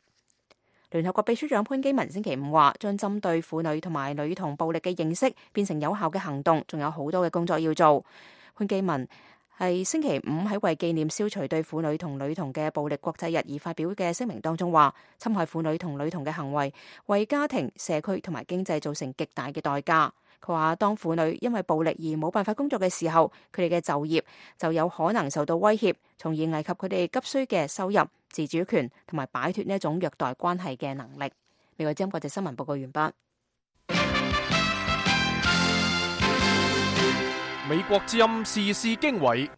聯合國秘書長潘基文星期五話，將針對婦女同埋女童暴力嘅認識變成有效嘅行動，仲有好多嘅工作要做。潘基文係星期五喺為紀念消除對婦女同女童嘅暴力國際日而發表嘅聲明當中話，侵害婦女同女童嘅行為為家庭、社區同埋經濟造成極大嘅代價。佢話，當婦女因為暴力而冇辦法工作嘅時候，佢哋嘅就業就有可能受到威脅，從而危及佢哋急需嘅收入、自主權同埋擺脫呢一種虐待關係嘅能力。美國之音國際新聞報告完畢。美國之音時事經緯，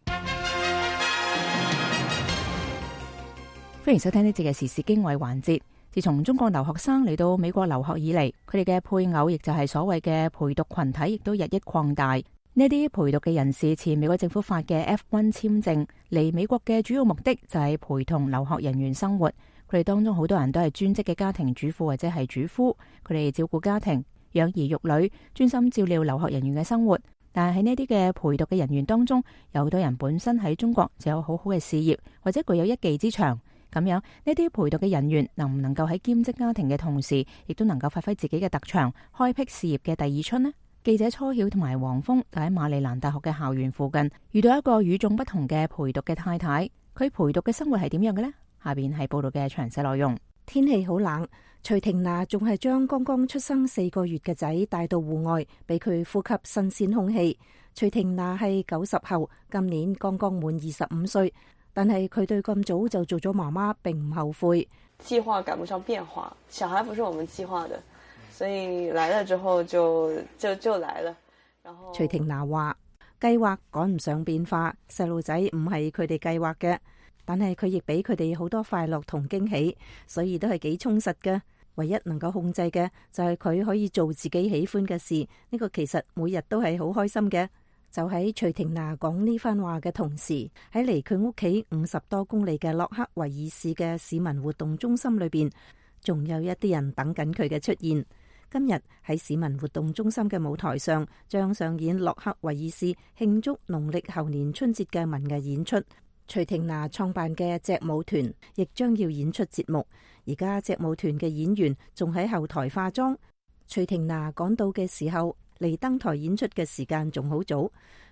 歡迎收聽呢節嘅時事經緯環節。自從中國留學生嚟到美國留學以嚟，佢哋嘅配偶，亦就係所謂嘅陪讀群體，亦都日益擴大。呢啲陪讀嘅人士持美國政府發嘅 F1 簽證嚟美國嘅主要目的就係陪同留學人員生活。佢哋當中好多人都係專職嘅家庭主婦或者係主夫，佢哋照顧家庭、養兒育女，專心照料留學人員嘅生活。但係喺呢啲嘅陪讀嘅人員當中，有好多人本身喺中國就有好好嘅事業，或者具有一技之長。咁樣呢啲陪讀嘅人員能唔能夠喺兼職家庭嘅同時，亦都能夠發揮自己嘅特長，開闢事業嘅第二春呢？記者初曉同埋黃峰就喺馬里蘭大學嘅校園附近遇到一個與眾不同嘅陪讀嘅太太，佢陪讀嘅生活係點樣嘅呢？下邊係報道嘅詳細內容。天氣好冷，徐婷娜仲係將剛剛出生4個月嘅仔帶到戶外，俾佢呼吸新鮮空氣。徐婷娜係90後，今年剛剛滿25歲，但係佢對咁早就做咗媽媽並唔後悔。計劃趕不上變化，小孩不是我們計劃的，所以來了之後就來了。然後徐婷娜話：計劃趕唔上變化，細路仔唔係佢哋計劃嘅。但係佢亦俾佢哋好多快樂同驚喜，所以都係幾充實嘅。唯一能夠控制嘅就係佢可以做自己喜歡嘅事，呢個其實每日都係好開心嘅。就喺徐婷娜講呢番話嘅同時，喺離佢屋企50多公里嘅洛克維爾市嘅市民活動中心裏邊，仲有一啲人等緊佢嘅出現。今日喺市民活動中心嘅舞台上，將上演洛克維爾市慶祝農曆猴年春節嘅文藝演出。徐婷娜創辦嘅隻舞團亦將要演出節目，而家隻舞團嘅演員仲喺後台化妝。徐婷娜趕到嘅時候，離登台演出嘅時間仲好早，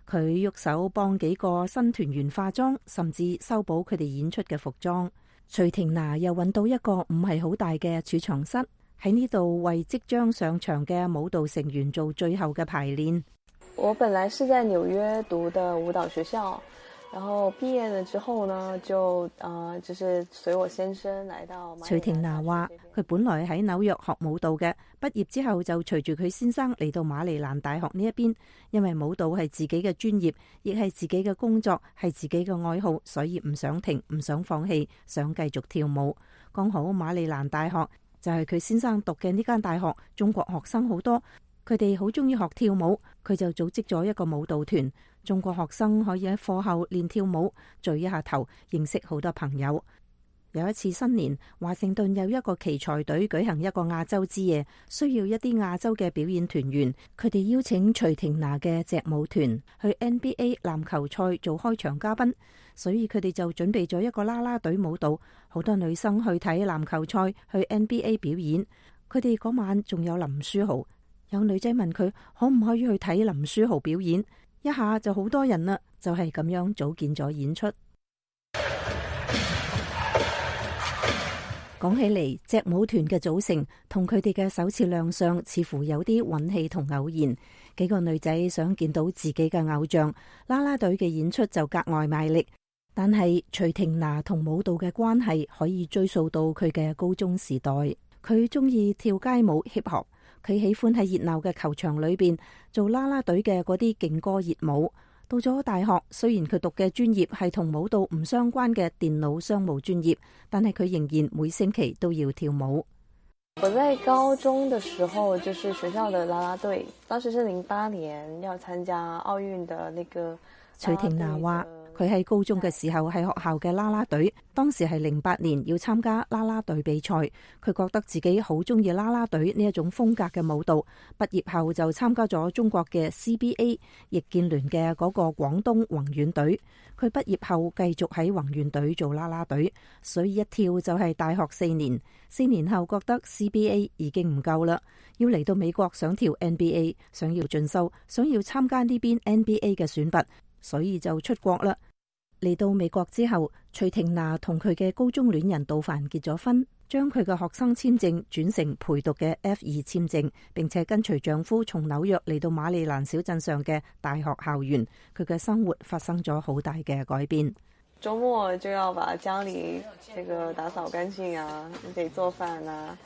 佢喐手幫幾個新團員化妝，甚至修補佢哋演出嘅服裝。徐婷娜又揾到一個唔係好大嘅儲藏室，喺呢度為即將上場嘅舞蹈成員做最後嘅排練。我本來是在紐約讀的舞蹈學校。然後畢業了之後呢，就是隨我先生來到。徐婷娜話：佢本來喺紐約學舞蹈嘅，畢業之後就隨住佢先生嚟到馬里蘭大學呢一邊，因為舞蹈係自己嘅專業，亦係自己嘅工作，係自己嘅愛好，所以唔想停，唔想放棄，想繼續跳舞。剛好馬里蘭大學就係佢先生讀嘅呢間大學，中國學生好多。佢哋好中意學跳舞，佢就組織咗一個舞蹈團，中國學生可以喺課後練跳舞，聚一下頭，認識好多朋友。有一次新年，華盛頓有一個奇才隊舉行一個亞洲之夜，需要一啲亞洲嘅表演團員，佢哋邀請徐婷娜嘅隻舞團去 NBA 籃球賽做開場嘉賓，所以佢哋就準備咗一個啦啦隊舞蹈，好多女生去睇籃球賽，去 NBA 表演。佢哋嗰晚仲有林書豪。有女仔問佢可唔可以去睇林書豪表演，一下就好多人啦，就係咁樣組建咗演出。講起嚟，隻舞團嘅組成同佢哋嘅首次亮相似乎有啲運氣同偶然。幾個女仔想見到自己嘅偶像，啦啦隊嘅演出就格外賣力。但係徐婷娜同舞蹈嘅關係可以追溯到佢嘅高中時代，佢中意跳街舞 hip hop。佢喜歡喺熱鬧嘅球場裏邊做啦啦隊嘅嗰啲勁歌熱舞。到咗大學，雖然佢讀嘅專業係同舞蹈唔相關嘅電腦商務專業，但係佢仍然每星期都要跳舞。我在高中的時候，就是學校的啦啦隊，當時是08年要參加奧運的那個。徐婷娜話：佢喺高中嘅時候係學校嘅啦啦隊，當時係08年要參加啦啦隊比賽，佢覺得自己好中意啦啦隊呢一種風格嘅舞蹈。畢業後就參加咗中國嘅 CBA 易建聯嘅嗰個廣東宏遠隊。佢畢業後繼續喺宏遠隊做啦啦隊，所以一跳就係大學4年。4年後覺得 CBA 已經唔夠啦，要嚟到美國想跳 NBA， 想要進修，想要參加呢邊 NBA 嘅選拔，所以就出國啦。嚟到美國之後，徐婷娜同佢嘅高中戀人杜凡結咗婚，將佢嘅學生簽證轉成陪讀嘅 F2 簽證，並且跟隨丈夫從紐約嚟到馬里蘭小鎮上嘅大學校園。佢嘅生活發生咗好大嘅改變。周末就要把家裏這個打掃乾淨啊，你得做飯啊，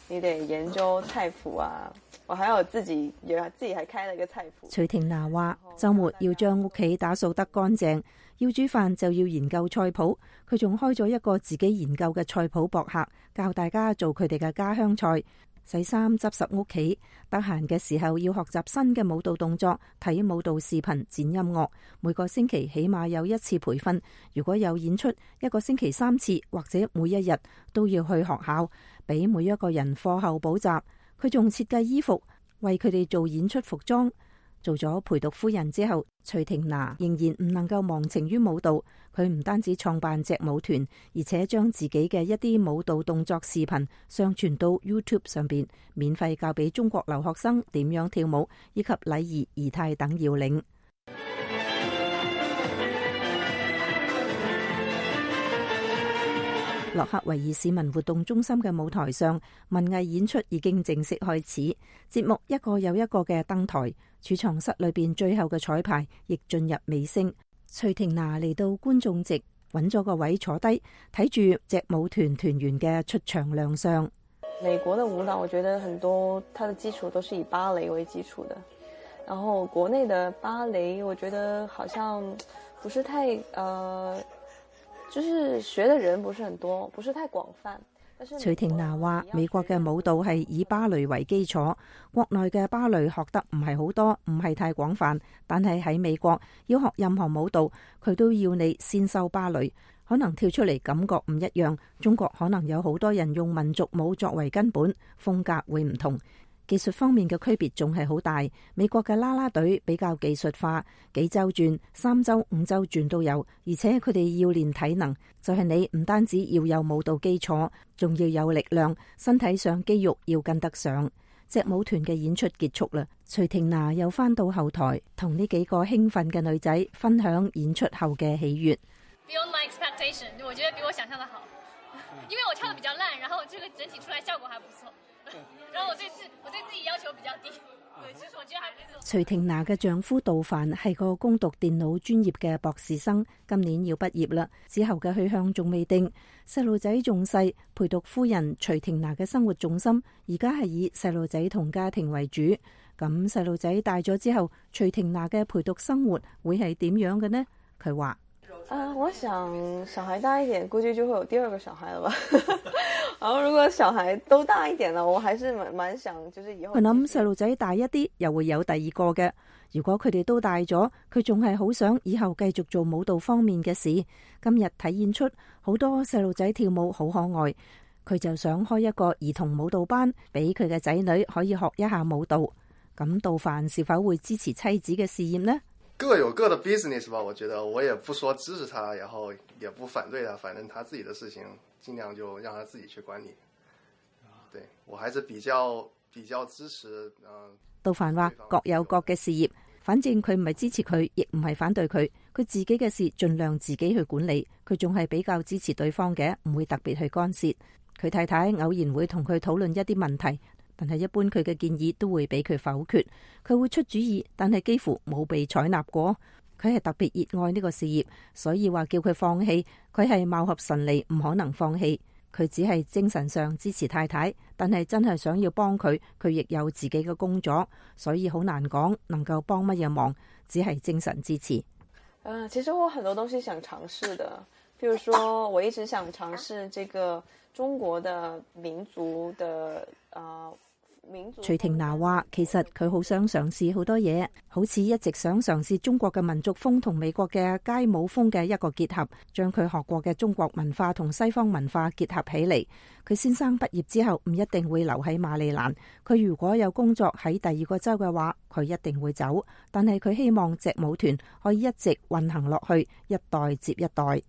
你得研究菜譜啊，我還有自己還開了一個菜譜。徐婷娜話周末要將屋企打掃得乾淨，要煮飯就要研究菜譜。佢仲開咗一個自己研究嘅菜譜博客，教大家做佢哋嘅家鄉菜。洗衫執拾屋企，得閒嘅時候要學習新嘅舞蹈動作，睇舞蹈視頻，剪音樂。每個星期起碼有1次培訓，如果有演出，1個星期3次，或者每一日都要去學校，俾每一個人課後補習。佢仲設計衣服，為佢哋做演出服裝。做咗陪讀夫人之後，徐婷娜仍然唔能夠忘情於舞蹈。佢唔單止創辦隻舞團，而且將自己嘅一啲舞蹈動作視頻上傳到 YouTube 上邊，免費教俾中國留學生點樣跳舞，以及禮儀儀態等要領。洛克維爾市民活動中心嘅舞台上，文藝演出已經正式開始，節目一個又一個嘅登台。儲藏室裏邊最後嘅彩排亦進入尾聲。徐婷娜嚟到觀眾席，揾咗個位坐低，睇住隻舞團團員嘅出場亮相。美國的舞蹈，我覺得很多它的基礎都是以芭蕾為基礎的，然後國內的芭蕾，我覺得好像不是太就是學的人不是很多，不是太廣泛。徐婷娜話美國嘅舞蹈係以芭蕾為基礎，國內嘅芭蕾學得唔係好多，唔係太廣泛，但係喺美國要學任何舞蹈，佢都要你先修芭蕾，可能跳出嚟感覺唔一樣。中國可能有好多人用民族舞作為根本，風格會唔同。技術方面嘅區別仲係好大，美國嘅啦啦隊比較技術化，幾周轉、3周、5周轉都有，而且佢哋要練體能，就係你唔單止要有舞蹈基礎，仲要有力量，身體上肌肉要跟得上。隻舞團嘅演出結束啦，徐婷娜又翻到後台，同呢幾個興奮嘅女仔分享演出後嘅喜悅。Beyond my expectation， 我覺得比我想象的好，因為我跳得比較爛，然後這個整體出來效果還不錯。然後我對自己要求比較低，對，其實我覺得還是。徐婷娜嘅丈夫杜凡係個攻讀電腦專業嘅博士生，今年要畢業啦，之後嘅去向仲未定。細路仔仲細，陪讀夫人徐婷娜嘅生活重心而家係以細路仔同家庭為主。咁細路仔大咗之後，徐婷娜嘅陪讀生活會係點樣嘅呢？佢話：我想小孩大一點，估計就會有第二個小孩了吧。然後如果小孩都大一點啦，我還是蠻想，就是以後。佢諗細路仔大一啲，又會有第二個嘅。如果佢哋都大咗，佢仲係好想以後繼續做舞蹈方面嘅事。今日睇演出，好多細路仔跳舞好可愛，佢就想開一個兒童舞蹈班，俾佢嘅仔女可以學一下舞蹈。咁杜凡是否會支持妻子嘅事業呢？各有各的 business 吧，我覺得我也不說支持他，然後也不反對他，反正他自己的事情盡量就讓他自己去管理。對，我還是比較支持。杜凡話各有各嘅事業，反正佢唔係支持佢，亦唔係反對佢，佢自己嘅事盡量自己去管理。佢仲係比較支持對方嘅，唔會特別去干涉。佢太太偶然會同佢討論一啲問題，但係一般佢嘅建議都會俾佢否決。佢會出主意，但係幾乎冇被採納過。佢係特別熱愛呢個事業，所以話叫佢放棄，佢係貌合神離，唔可能放棄。佢只係精神上支持太太，但係真係想要幫佢，佢亦有自己嘅工作，所以好難講能夠幫乜嘢忙，只係精神支持。其實我很多東西想嘗試的，譬如說我一直想嘗試這個中國的民族的徐婷娜話，其實佢好想嘗試好多嘢，好似一直想嘗試中國嘅民族風同美國嘅街舞風嘅一個結合，將佢學過嘅中國文化同西方文化結合起嚟。佢先生畢業之後唔一定會留喺馬里蘭，佢如果有工作喺第二個州嘅話，佢一定會走。但係佢希望隻舞團可以一直運行落去，一代接一代。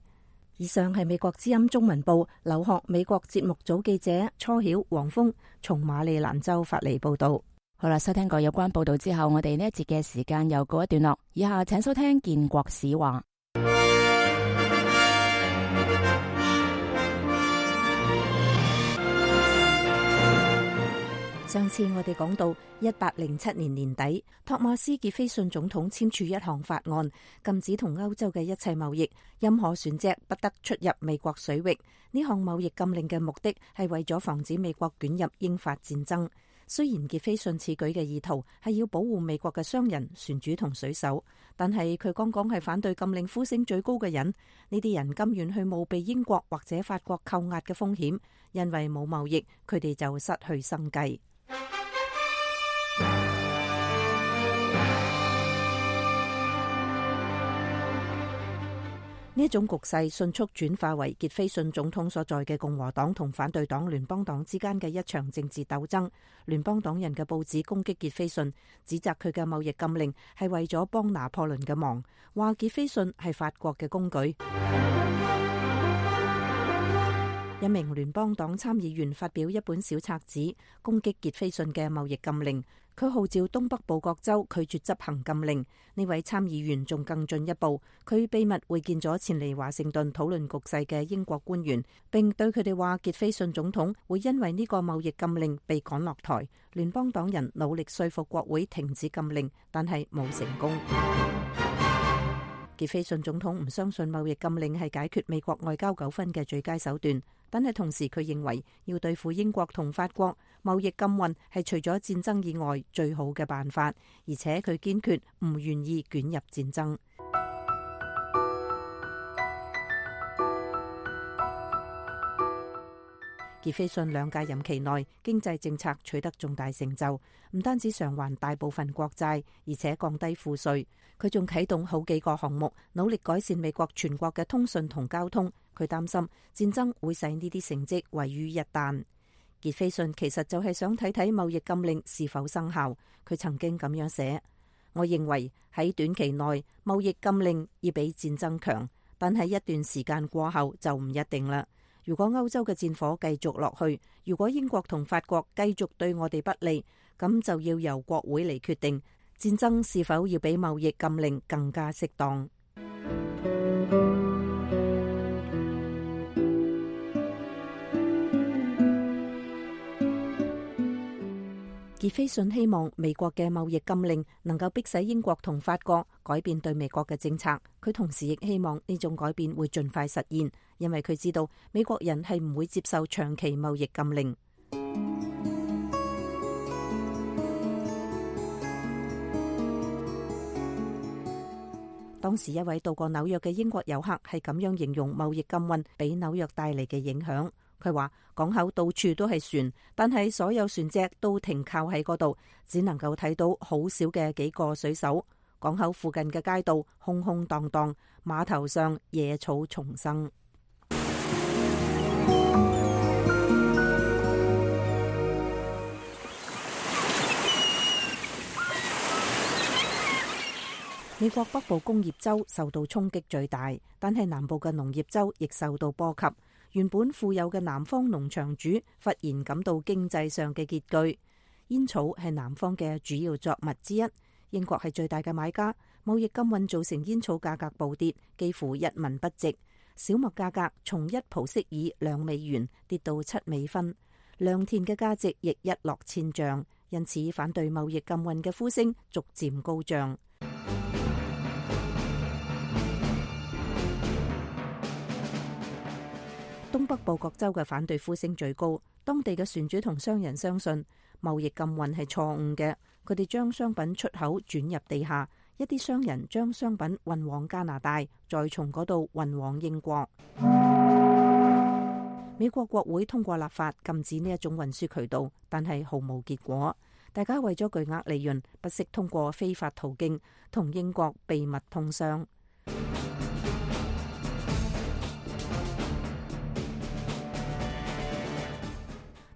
以上係美國之音中文部留學美國節目組記者初曉、黃峰從馬里蘭州發嚟報道。好啦，收聽過有關報道之後，我哋呢一節嘅時間又告一段落。以下請收聽建國史話。上次我哋講到1807年年底，托馬斯傑菲遜總統簽署一項法案，禁止同歐洲嘅一切貿易，任何船隻不得出入美國水域。呢項貿易禁令嘅目的係為咗防止美國捲入英法戰爭。雖然傑菲遜此舉嘅意圖係要保護美國嘅商人、船主同水手，但係佢剛剛係反對禁令呼聲最高嘅人。呢啲人甘願去冒被英國或者法國扣押嘅風險，因為冇貿易，佢哋就失去生計。呢一種局勢迅速轉化為傑菲遜總統所在嘅共和黨同反對黨聯邦黨之間嘅一場政治鬥爭。聯邦黨人嘅報紙攻擊傑菲遜，指責佢嘅貿易禁令係為咗幫拿破崙嘅忙，話傑菲遜係法國嘅工具。一名聯邦黨參議員發表一本小冊子攻擊傑菲遜嘅貿易禁令，佢號召東北部各州拒絕執行禁令。呢位參議員仲更進一步，佢秘密會見咗前嚟華盛頓討論局勢嘅英國官員，並對佢哋話傑菲遜總統會因為呢個貿易禁令被趕落台。聯邦黨人努力說服國會停止禁令，但係冇成功。傑菲遜總統唔相信貿易禁令係解決美國外交糾紛嘅最佳手段，但係同時佢認為要對付英國同法國，貿易禁運係除咗戰爭以外最好嘅辦法，而且佢堅決唔願意捲入戰爭。傑菲遜兩屆任期內，經濟政策取得重大成就，唔單止償還大部分國債，而且降低賦稅。佢仲啟動好幾個項目，努力改善美國全國嘅通訊同交通。佢擔心戰爭會使呢啲成績毀於一旦。傑菲遜其實就係想睇睇貿易禁令是否生效。佢曾經咁樣寫：我認為喺短期內貿易禁令要比戰爭強，但係一段時間過後就唔一定啦。如果歐洲嘅戰火繼續落去，如果英國同法國繼續對我哋不利，咁就要由國會嚟決定戰爭是否要比貿易禁令更加適當。傑菲遜希望美國嘅貿易禁令能夠迫使英國同法國改變對美國嘅政策。佢同時亦希望呢種改變會盡快實現，因為佢知道美國人係唔會接受長期貿易禁令。當時一位到過紐約嘅英國遊客係咁樣形容貿易禁運俾紐約帶嚟嘅影響。佢話港口到處都係船，但係所有船隻都停靠喺嗰度，只能夠睇到好少嘅幾個水手。港口附近嘅街道空空蕩蕩，碼頭上野草叢生。美國北部工業州受到衝擊最大，但係南部嘅農業州亦受到波及。原本富有嘅南方農場主忽然感到經濟上嘅拮據。煙草係南方嘅主要作物之一，英國係最大嘅買家。貿易禁運造成煙草價格暴跌，幾乎一文不值。小麥價格從1蒲息爾2美元跌到7美分，良田嘅價值亦一落千丈。因此，反對貿易禁運嘅呼聲逐漸高漲。東北部各州嘅反對呼聲最高，當地嘅船主同商人相信貿易禁運係錯誤嘅，佢哋將商品出口轉入地下，一啲商人將商品運往加拿大，再從嗰度運往英國。美國國會通過立法禁止呢一種運輸渠道，但係毫無結果。大家為咗巨額利潤，不惜通過非法途徑同英國秘密通商。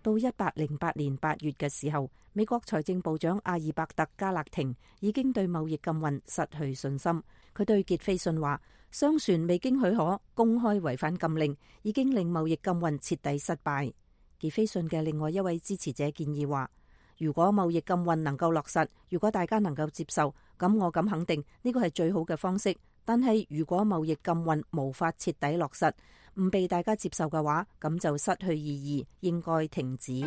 到1808年8月嘅時候，美國財政部長阿爾伯特加勒廷已經對貿易禁運失去信心。佢對傑斐遜話：商船未經許可公開違反禁令，已經令貿易禁運徹底失敗。傑斐遜嘅另外一位支持者建議話：如果貿易禁運能夠落實，如果大家能夠接受，咁我敢肯定呢個係最好嘅方式。但係如果貿易禁運無法徹底落實，唔被大家接受嘅話，咁就失去意義，應該停止。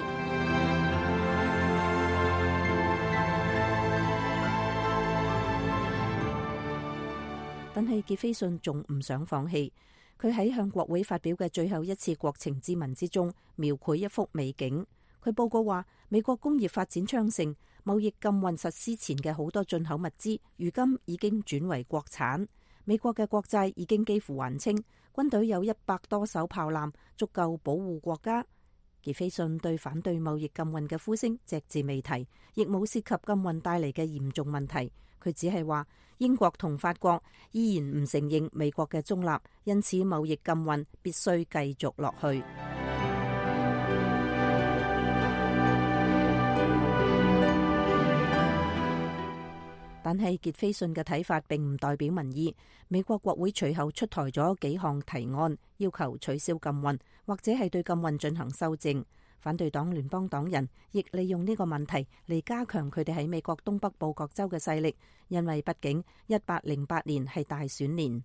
但係傑斐遜仲唔想放棄，佢喺向國會發表嘅最後一次國情咨文之中，描繪一幅美景。佢報告話，美國工業發展昌盛，貿易禁運實施前嘅好多進口物資，如今已經轉為國產。美國嘅國債已經幾乎還清，軍隊有100多艘炮艦，足夠保護國家。傑斐遜對反對貿易禁運嘅呼聲隻字未提，亦冇涉及禁運帶嚟嘅嚴重問題。佢只係話英國同法國依然唔承認美國嘅中立，因此貿易禁運必須繼續落去。但係傑斐遜嘅睇法並唔代表民意。美國國會隨後出台咗幾項提案，要求取消禁運，或者係對禁運進行修正。反對黨聯邦黨人亦利用呢個問題嚟加強佢哋喺美國東北部各州嘅勢力，因為畢竟1808年係大選年。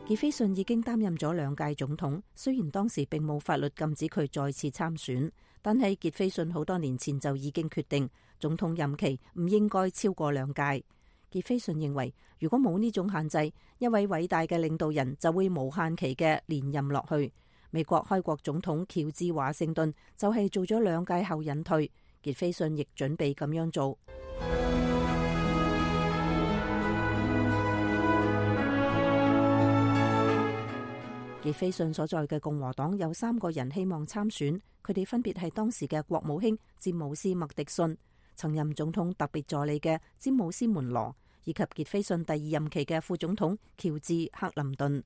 傑斐遜已經擔任咗2屆總統，雖然當時並冇法律禁止佢再次參選，但係傑斐遜好多年前就已經決定總統任期唔應該超過2屆。傑斐遜認為，如果冇呢種限制，一位偉大嘅領導人就會無限期嘅連任落去。美國開國總統喬治華盛頓就係做咗2屆後隱退，傑斐遜亦準備咁樣做。傑斐遜所在嘅共和黨有3個人希望參選，佢哋分別係當時嘅國務卿詹姆斯麥迪遜、曾任總統特別助理嘅詹姆斯門羅，以及傑斐遜第2任期嘅副總統喬治克林頓。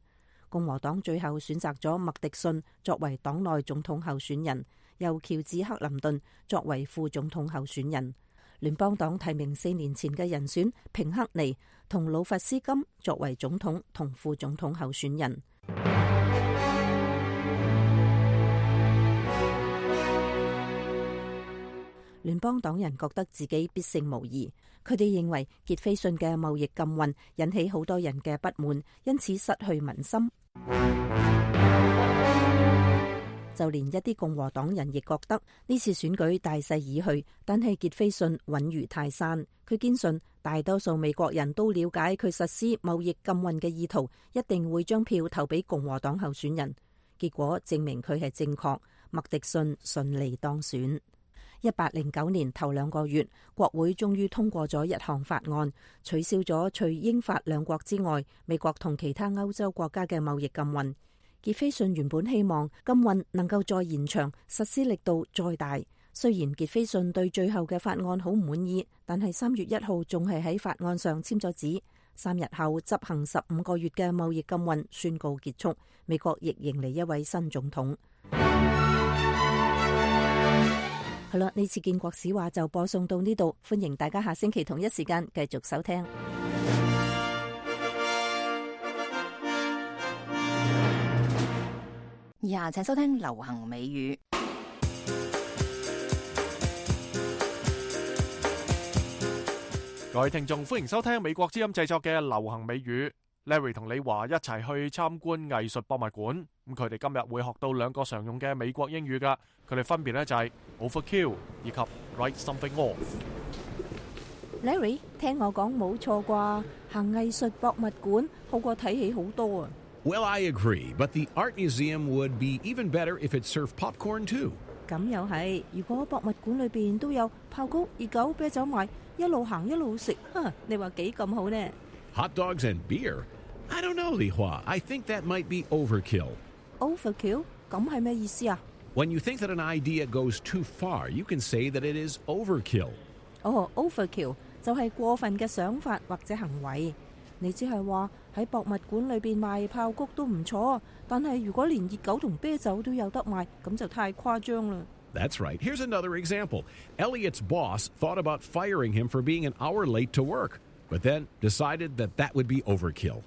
共和黨最後選擇咗麥迪遜作為黨內總統候選人，由喬治克林頓作為副總統候選人。聯邦黨提名4年前嘅人選平克尼同魯弗斯金作為總統同副總統候選人。聯邦黨人覺得自己必勝無疑，佢哋認為傑斐遜嘅貿易禁運引起好多人嘅不滿，因此失去民心。就連一啲共和黨人亦覺得呢次選舉大勢已去，但係傑斐遜穩如泰山。佢堅信大多數美國人都了解佢實施貿易禁運嘅意圖，一定會將票投俾共和黨候選人。結果證明佢係正確，麥迪遜順利當選。1809年頭2個月，國會終於通過咗一項法案，取消咗除英法2國之外，美國同其他歐洲國家嘅貿易禁運。傑斐遜原本希望禁運能夠再延長，實施力度再大。雖然傑斐遜對最後嘅法案好唔滿意，但係3月1號仲係喺法案上簽咗字。3日後執行15個月嘅貿易禁運宣告結束，美國亦迎嚟一位新總統。好啦，呢次建國史話就播送到呢度，歡迎大家下星期同一時間繼續收聽。以下請收聽流行美語。各位聽眾，歡迎收聽美國之音製作嘅流行美語。Larry 同李華一齊去參觀藝術博物館，咁佢哋今日會學到2個常用嘅美國英語噶，佢哋分別咧就係 overkill 以及 write something off。Larry， 聽我講冇錯啩，行藝術博物館好過睇戲好多啊。Well, I agree, but the art museum would be even better if it served popcorn too. 咁又係，如果博物館裏邊都有爆谷、熱狗、啤酒賣，一路行一路食，你話幾咁好呢？ Hot dogs and beer? I don't know, Li Hua. I think that might be overkill. Overkill? 咁係咩意思啊？ When you think that an idea goes too far, you can say that it is overkill. Overkill 就係過分嘅想法或者行為。你只係話喺博物館裏邊賣爆谷都唔錯，但係如果連熱狗同啤酒都有得賣，咁就太誇張啦。That's right. Here's another example. Elliot's boss thought about firing him for being an hour late to work, but then decided that that would be overkill.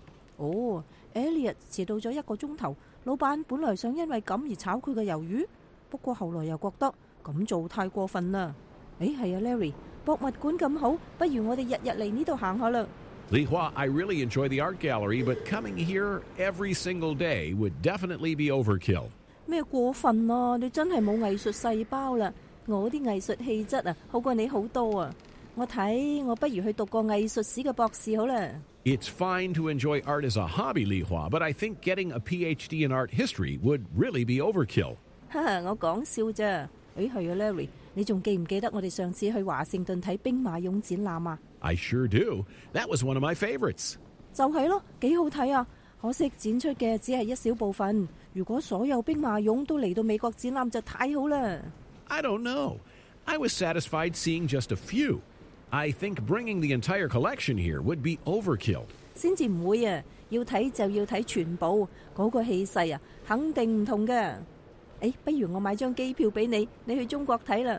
Elliot 遲到咗1個鐘頭，老闆本來想因為咁而炒佢嘅魷魚，不過後來又覺得咁做太過分啦。係啊 ，Larry， 博物館咁好，不如我哋日日嚟呢度行下啦。Li Hua, I really enjoy the art gallery, but coming here every single day would definitely be overkill. 咩過分啊？你真係冇藝術細胞啦！我啲藝術氣質啊，好過你好多啊！我睇我不如去讀個藝術史嘅博士好啦。It's fine to enjoy art as a hobby, Li Hua, but I think getting a PhD in art history would really be overkill. 我講笑啫。係啊 ，Larry， 你仲記唔記得我哋上次去華盛頓睇兵馬俑展覽啊？ I sure do. That was one of my favorites. 就係咯，幾好睇啊！可惜展出嘅只係一小部分。如果所有兵馬俑都嚟到美國展覽就太好啦。I don't know. I was satisfied seeing just a few. I think bringing the entire collection here would be overkill. 先至唔會啊！要睇就要睇全部，嗰個氣勢啊，肯定唔同嘅。不如我買張機票俾你，你去中國睇啦。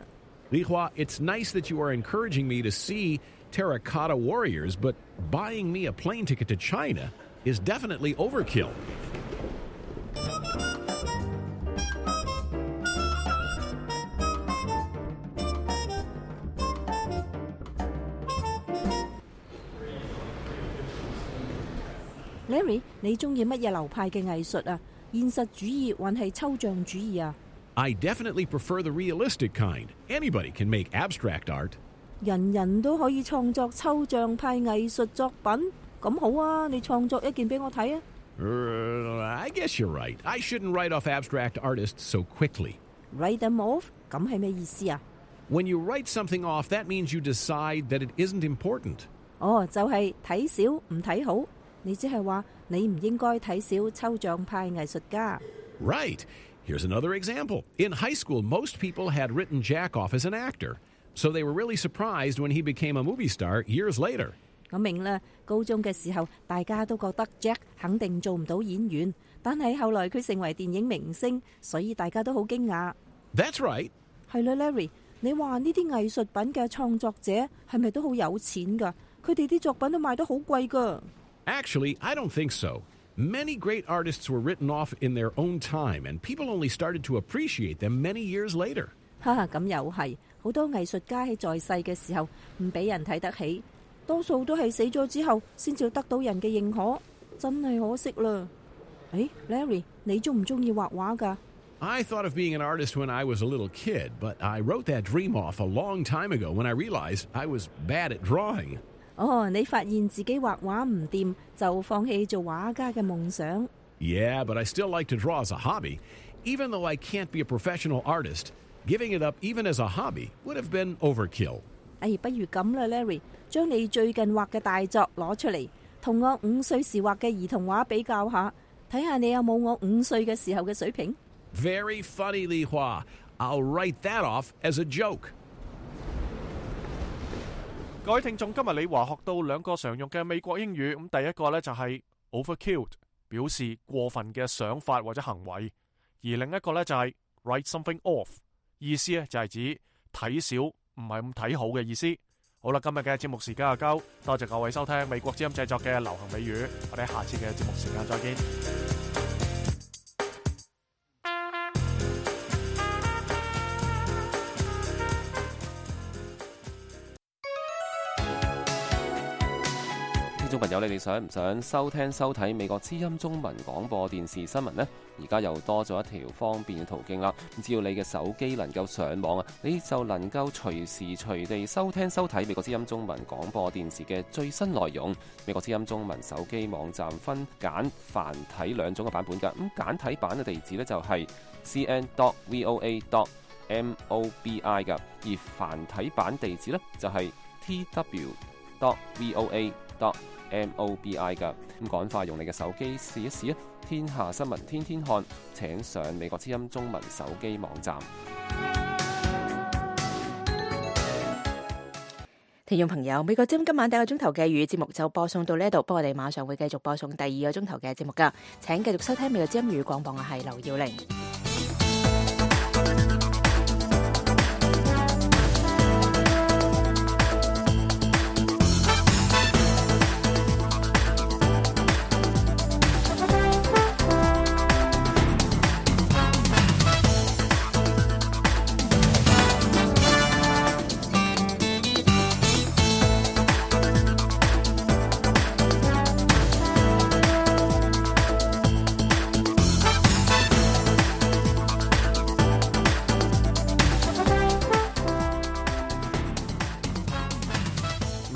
Li Hua, it's nice that you are encouraging me to see Terracotta Warriors, but buying me a plane ticket to China is definitely overkill. Larry， 你中意乜嘢流派嘅藝術啊？現實主義還係抽象主義啊？ I definitely prefer the realistic kind. Anybody can make abstract art. 人人都可以創作抽象派藝術作品，咁好啊！你創作一件俾我睇啊！ I guess you're right. I shouldn't write off abstract artists so quickly. Write them off？ 咁係咩意思啊？ When you write something off, that means you decide that it isn't important. 就係睇少唔睇好。你只係話你唔應該睇少抽象派藝術家。 Right. Here's another example. In high school, most people had written Jack off as an actor, so they were really surprised when he became a movie star years later. 我明啦，高中嘅時候大家都覺得 Jack 肯定做唔到演員，但係後來佢成為電影明星，所以大家都好驚訝。 That's right. 係啦 ，Larry， 你話呢啲藝術品嘅創作者係咪都好有錢㗎？佢哋啲作品都賣得好貴㗎。Actually, I don't think so. Many great artists were written off in their own time, and people only started to appreciate them many years later. 咁又係，好多藝術家喺在世嘅時候唔俾人睇得起，多數都係死咗之後先至得到人嘅認可，真係可惜啦。Larry， 你中唔中意畫畫㗎？ I thought of being an artist when I was a little kid, but I wrote that dream off a long time ago when I realized I was bad at drawing. 你發現自己畫畫唔掂，就放棄做畫家嘅夢想。 Yeah, but I still like to draw as a hobby. Even though I can't be a professional artist, giving it up even as a hobby would have been overkill. 不如咁啦 ，Larry， 將你最近畫嘅大作攞出嚟，同我5歲時畫嘅兒童畫比較下，睇下你有冇我5歲嘅時候嘅水平。 Very funny, Li Hua. I'll write that off as a joke. 各位聽眾，今日李華學到2個常用嘅美國英語，咁第一個呢就係 overkill， 表示過分嘅想法或者行為，而另一個呢就係 write something off， 意思呢就係指睇少唔係咁睇好嘅意思。好啦，今日嘅節目時間就夠，多謝各位收聽美國之音製作嘅流行美語，我哋下次嘅節目時間再見。聽眾朋友，你哋想唔想收聽收睇美國之音中文廣播電視新聞呢？而家又多咗一條方便嘅途徑啦！只要你嘅手機能夠上網啊，你就能夠隨時隨地收聽收睇美國之音中文廣播電視嘅最新內容。美國之音中文手機網站分簡繁體2種嘅版本㗎。咁簡體版嘅地址呢，就係 cn.voa.mobi 㗎，而繁體版地址呢，就係tw.voa.mobi .mobi 噶。咁趕快用你嘅手機試一試啊！天下新聞天天看，請上美國之音中文手機網站。聽眾朋友，美國之音今晚第一個鐘頭嘅粵語節目就播送到呢度，不過我哋馬上會繼續播送第二個鐘頭嘅節目噶，請繼續收聽美國之音粵語廣播，我係劉耀玲。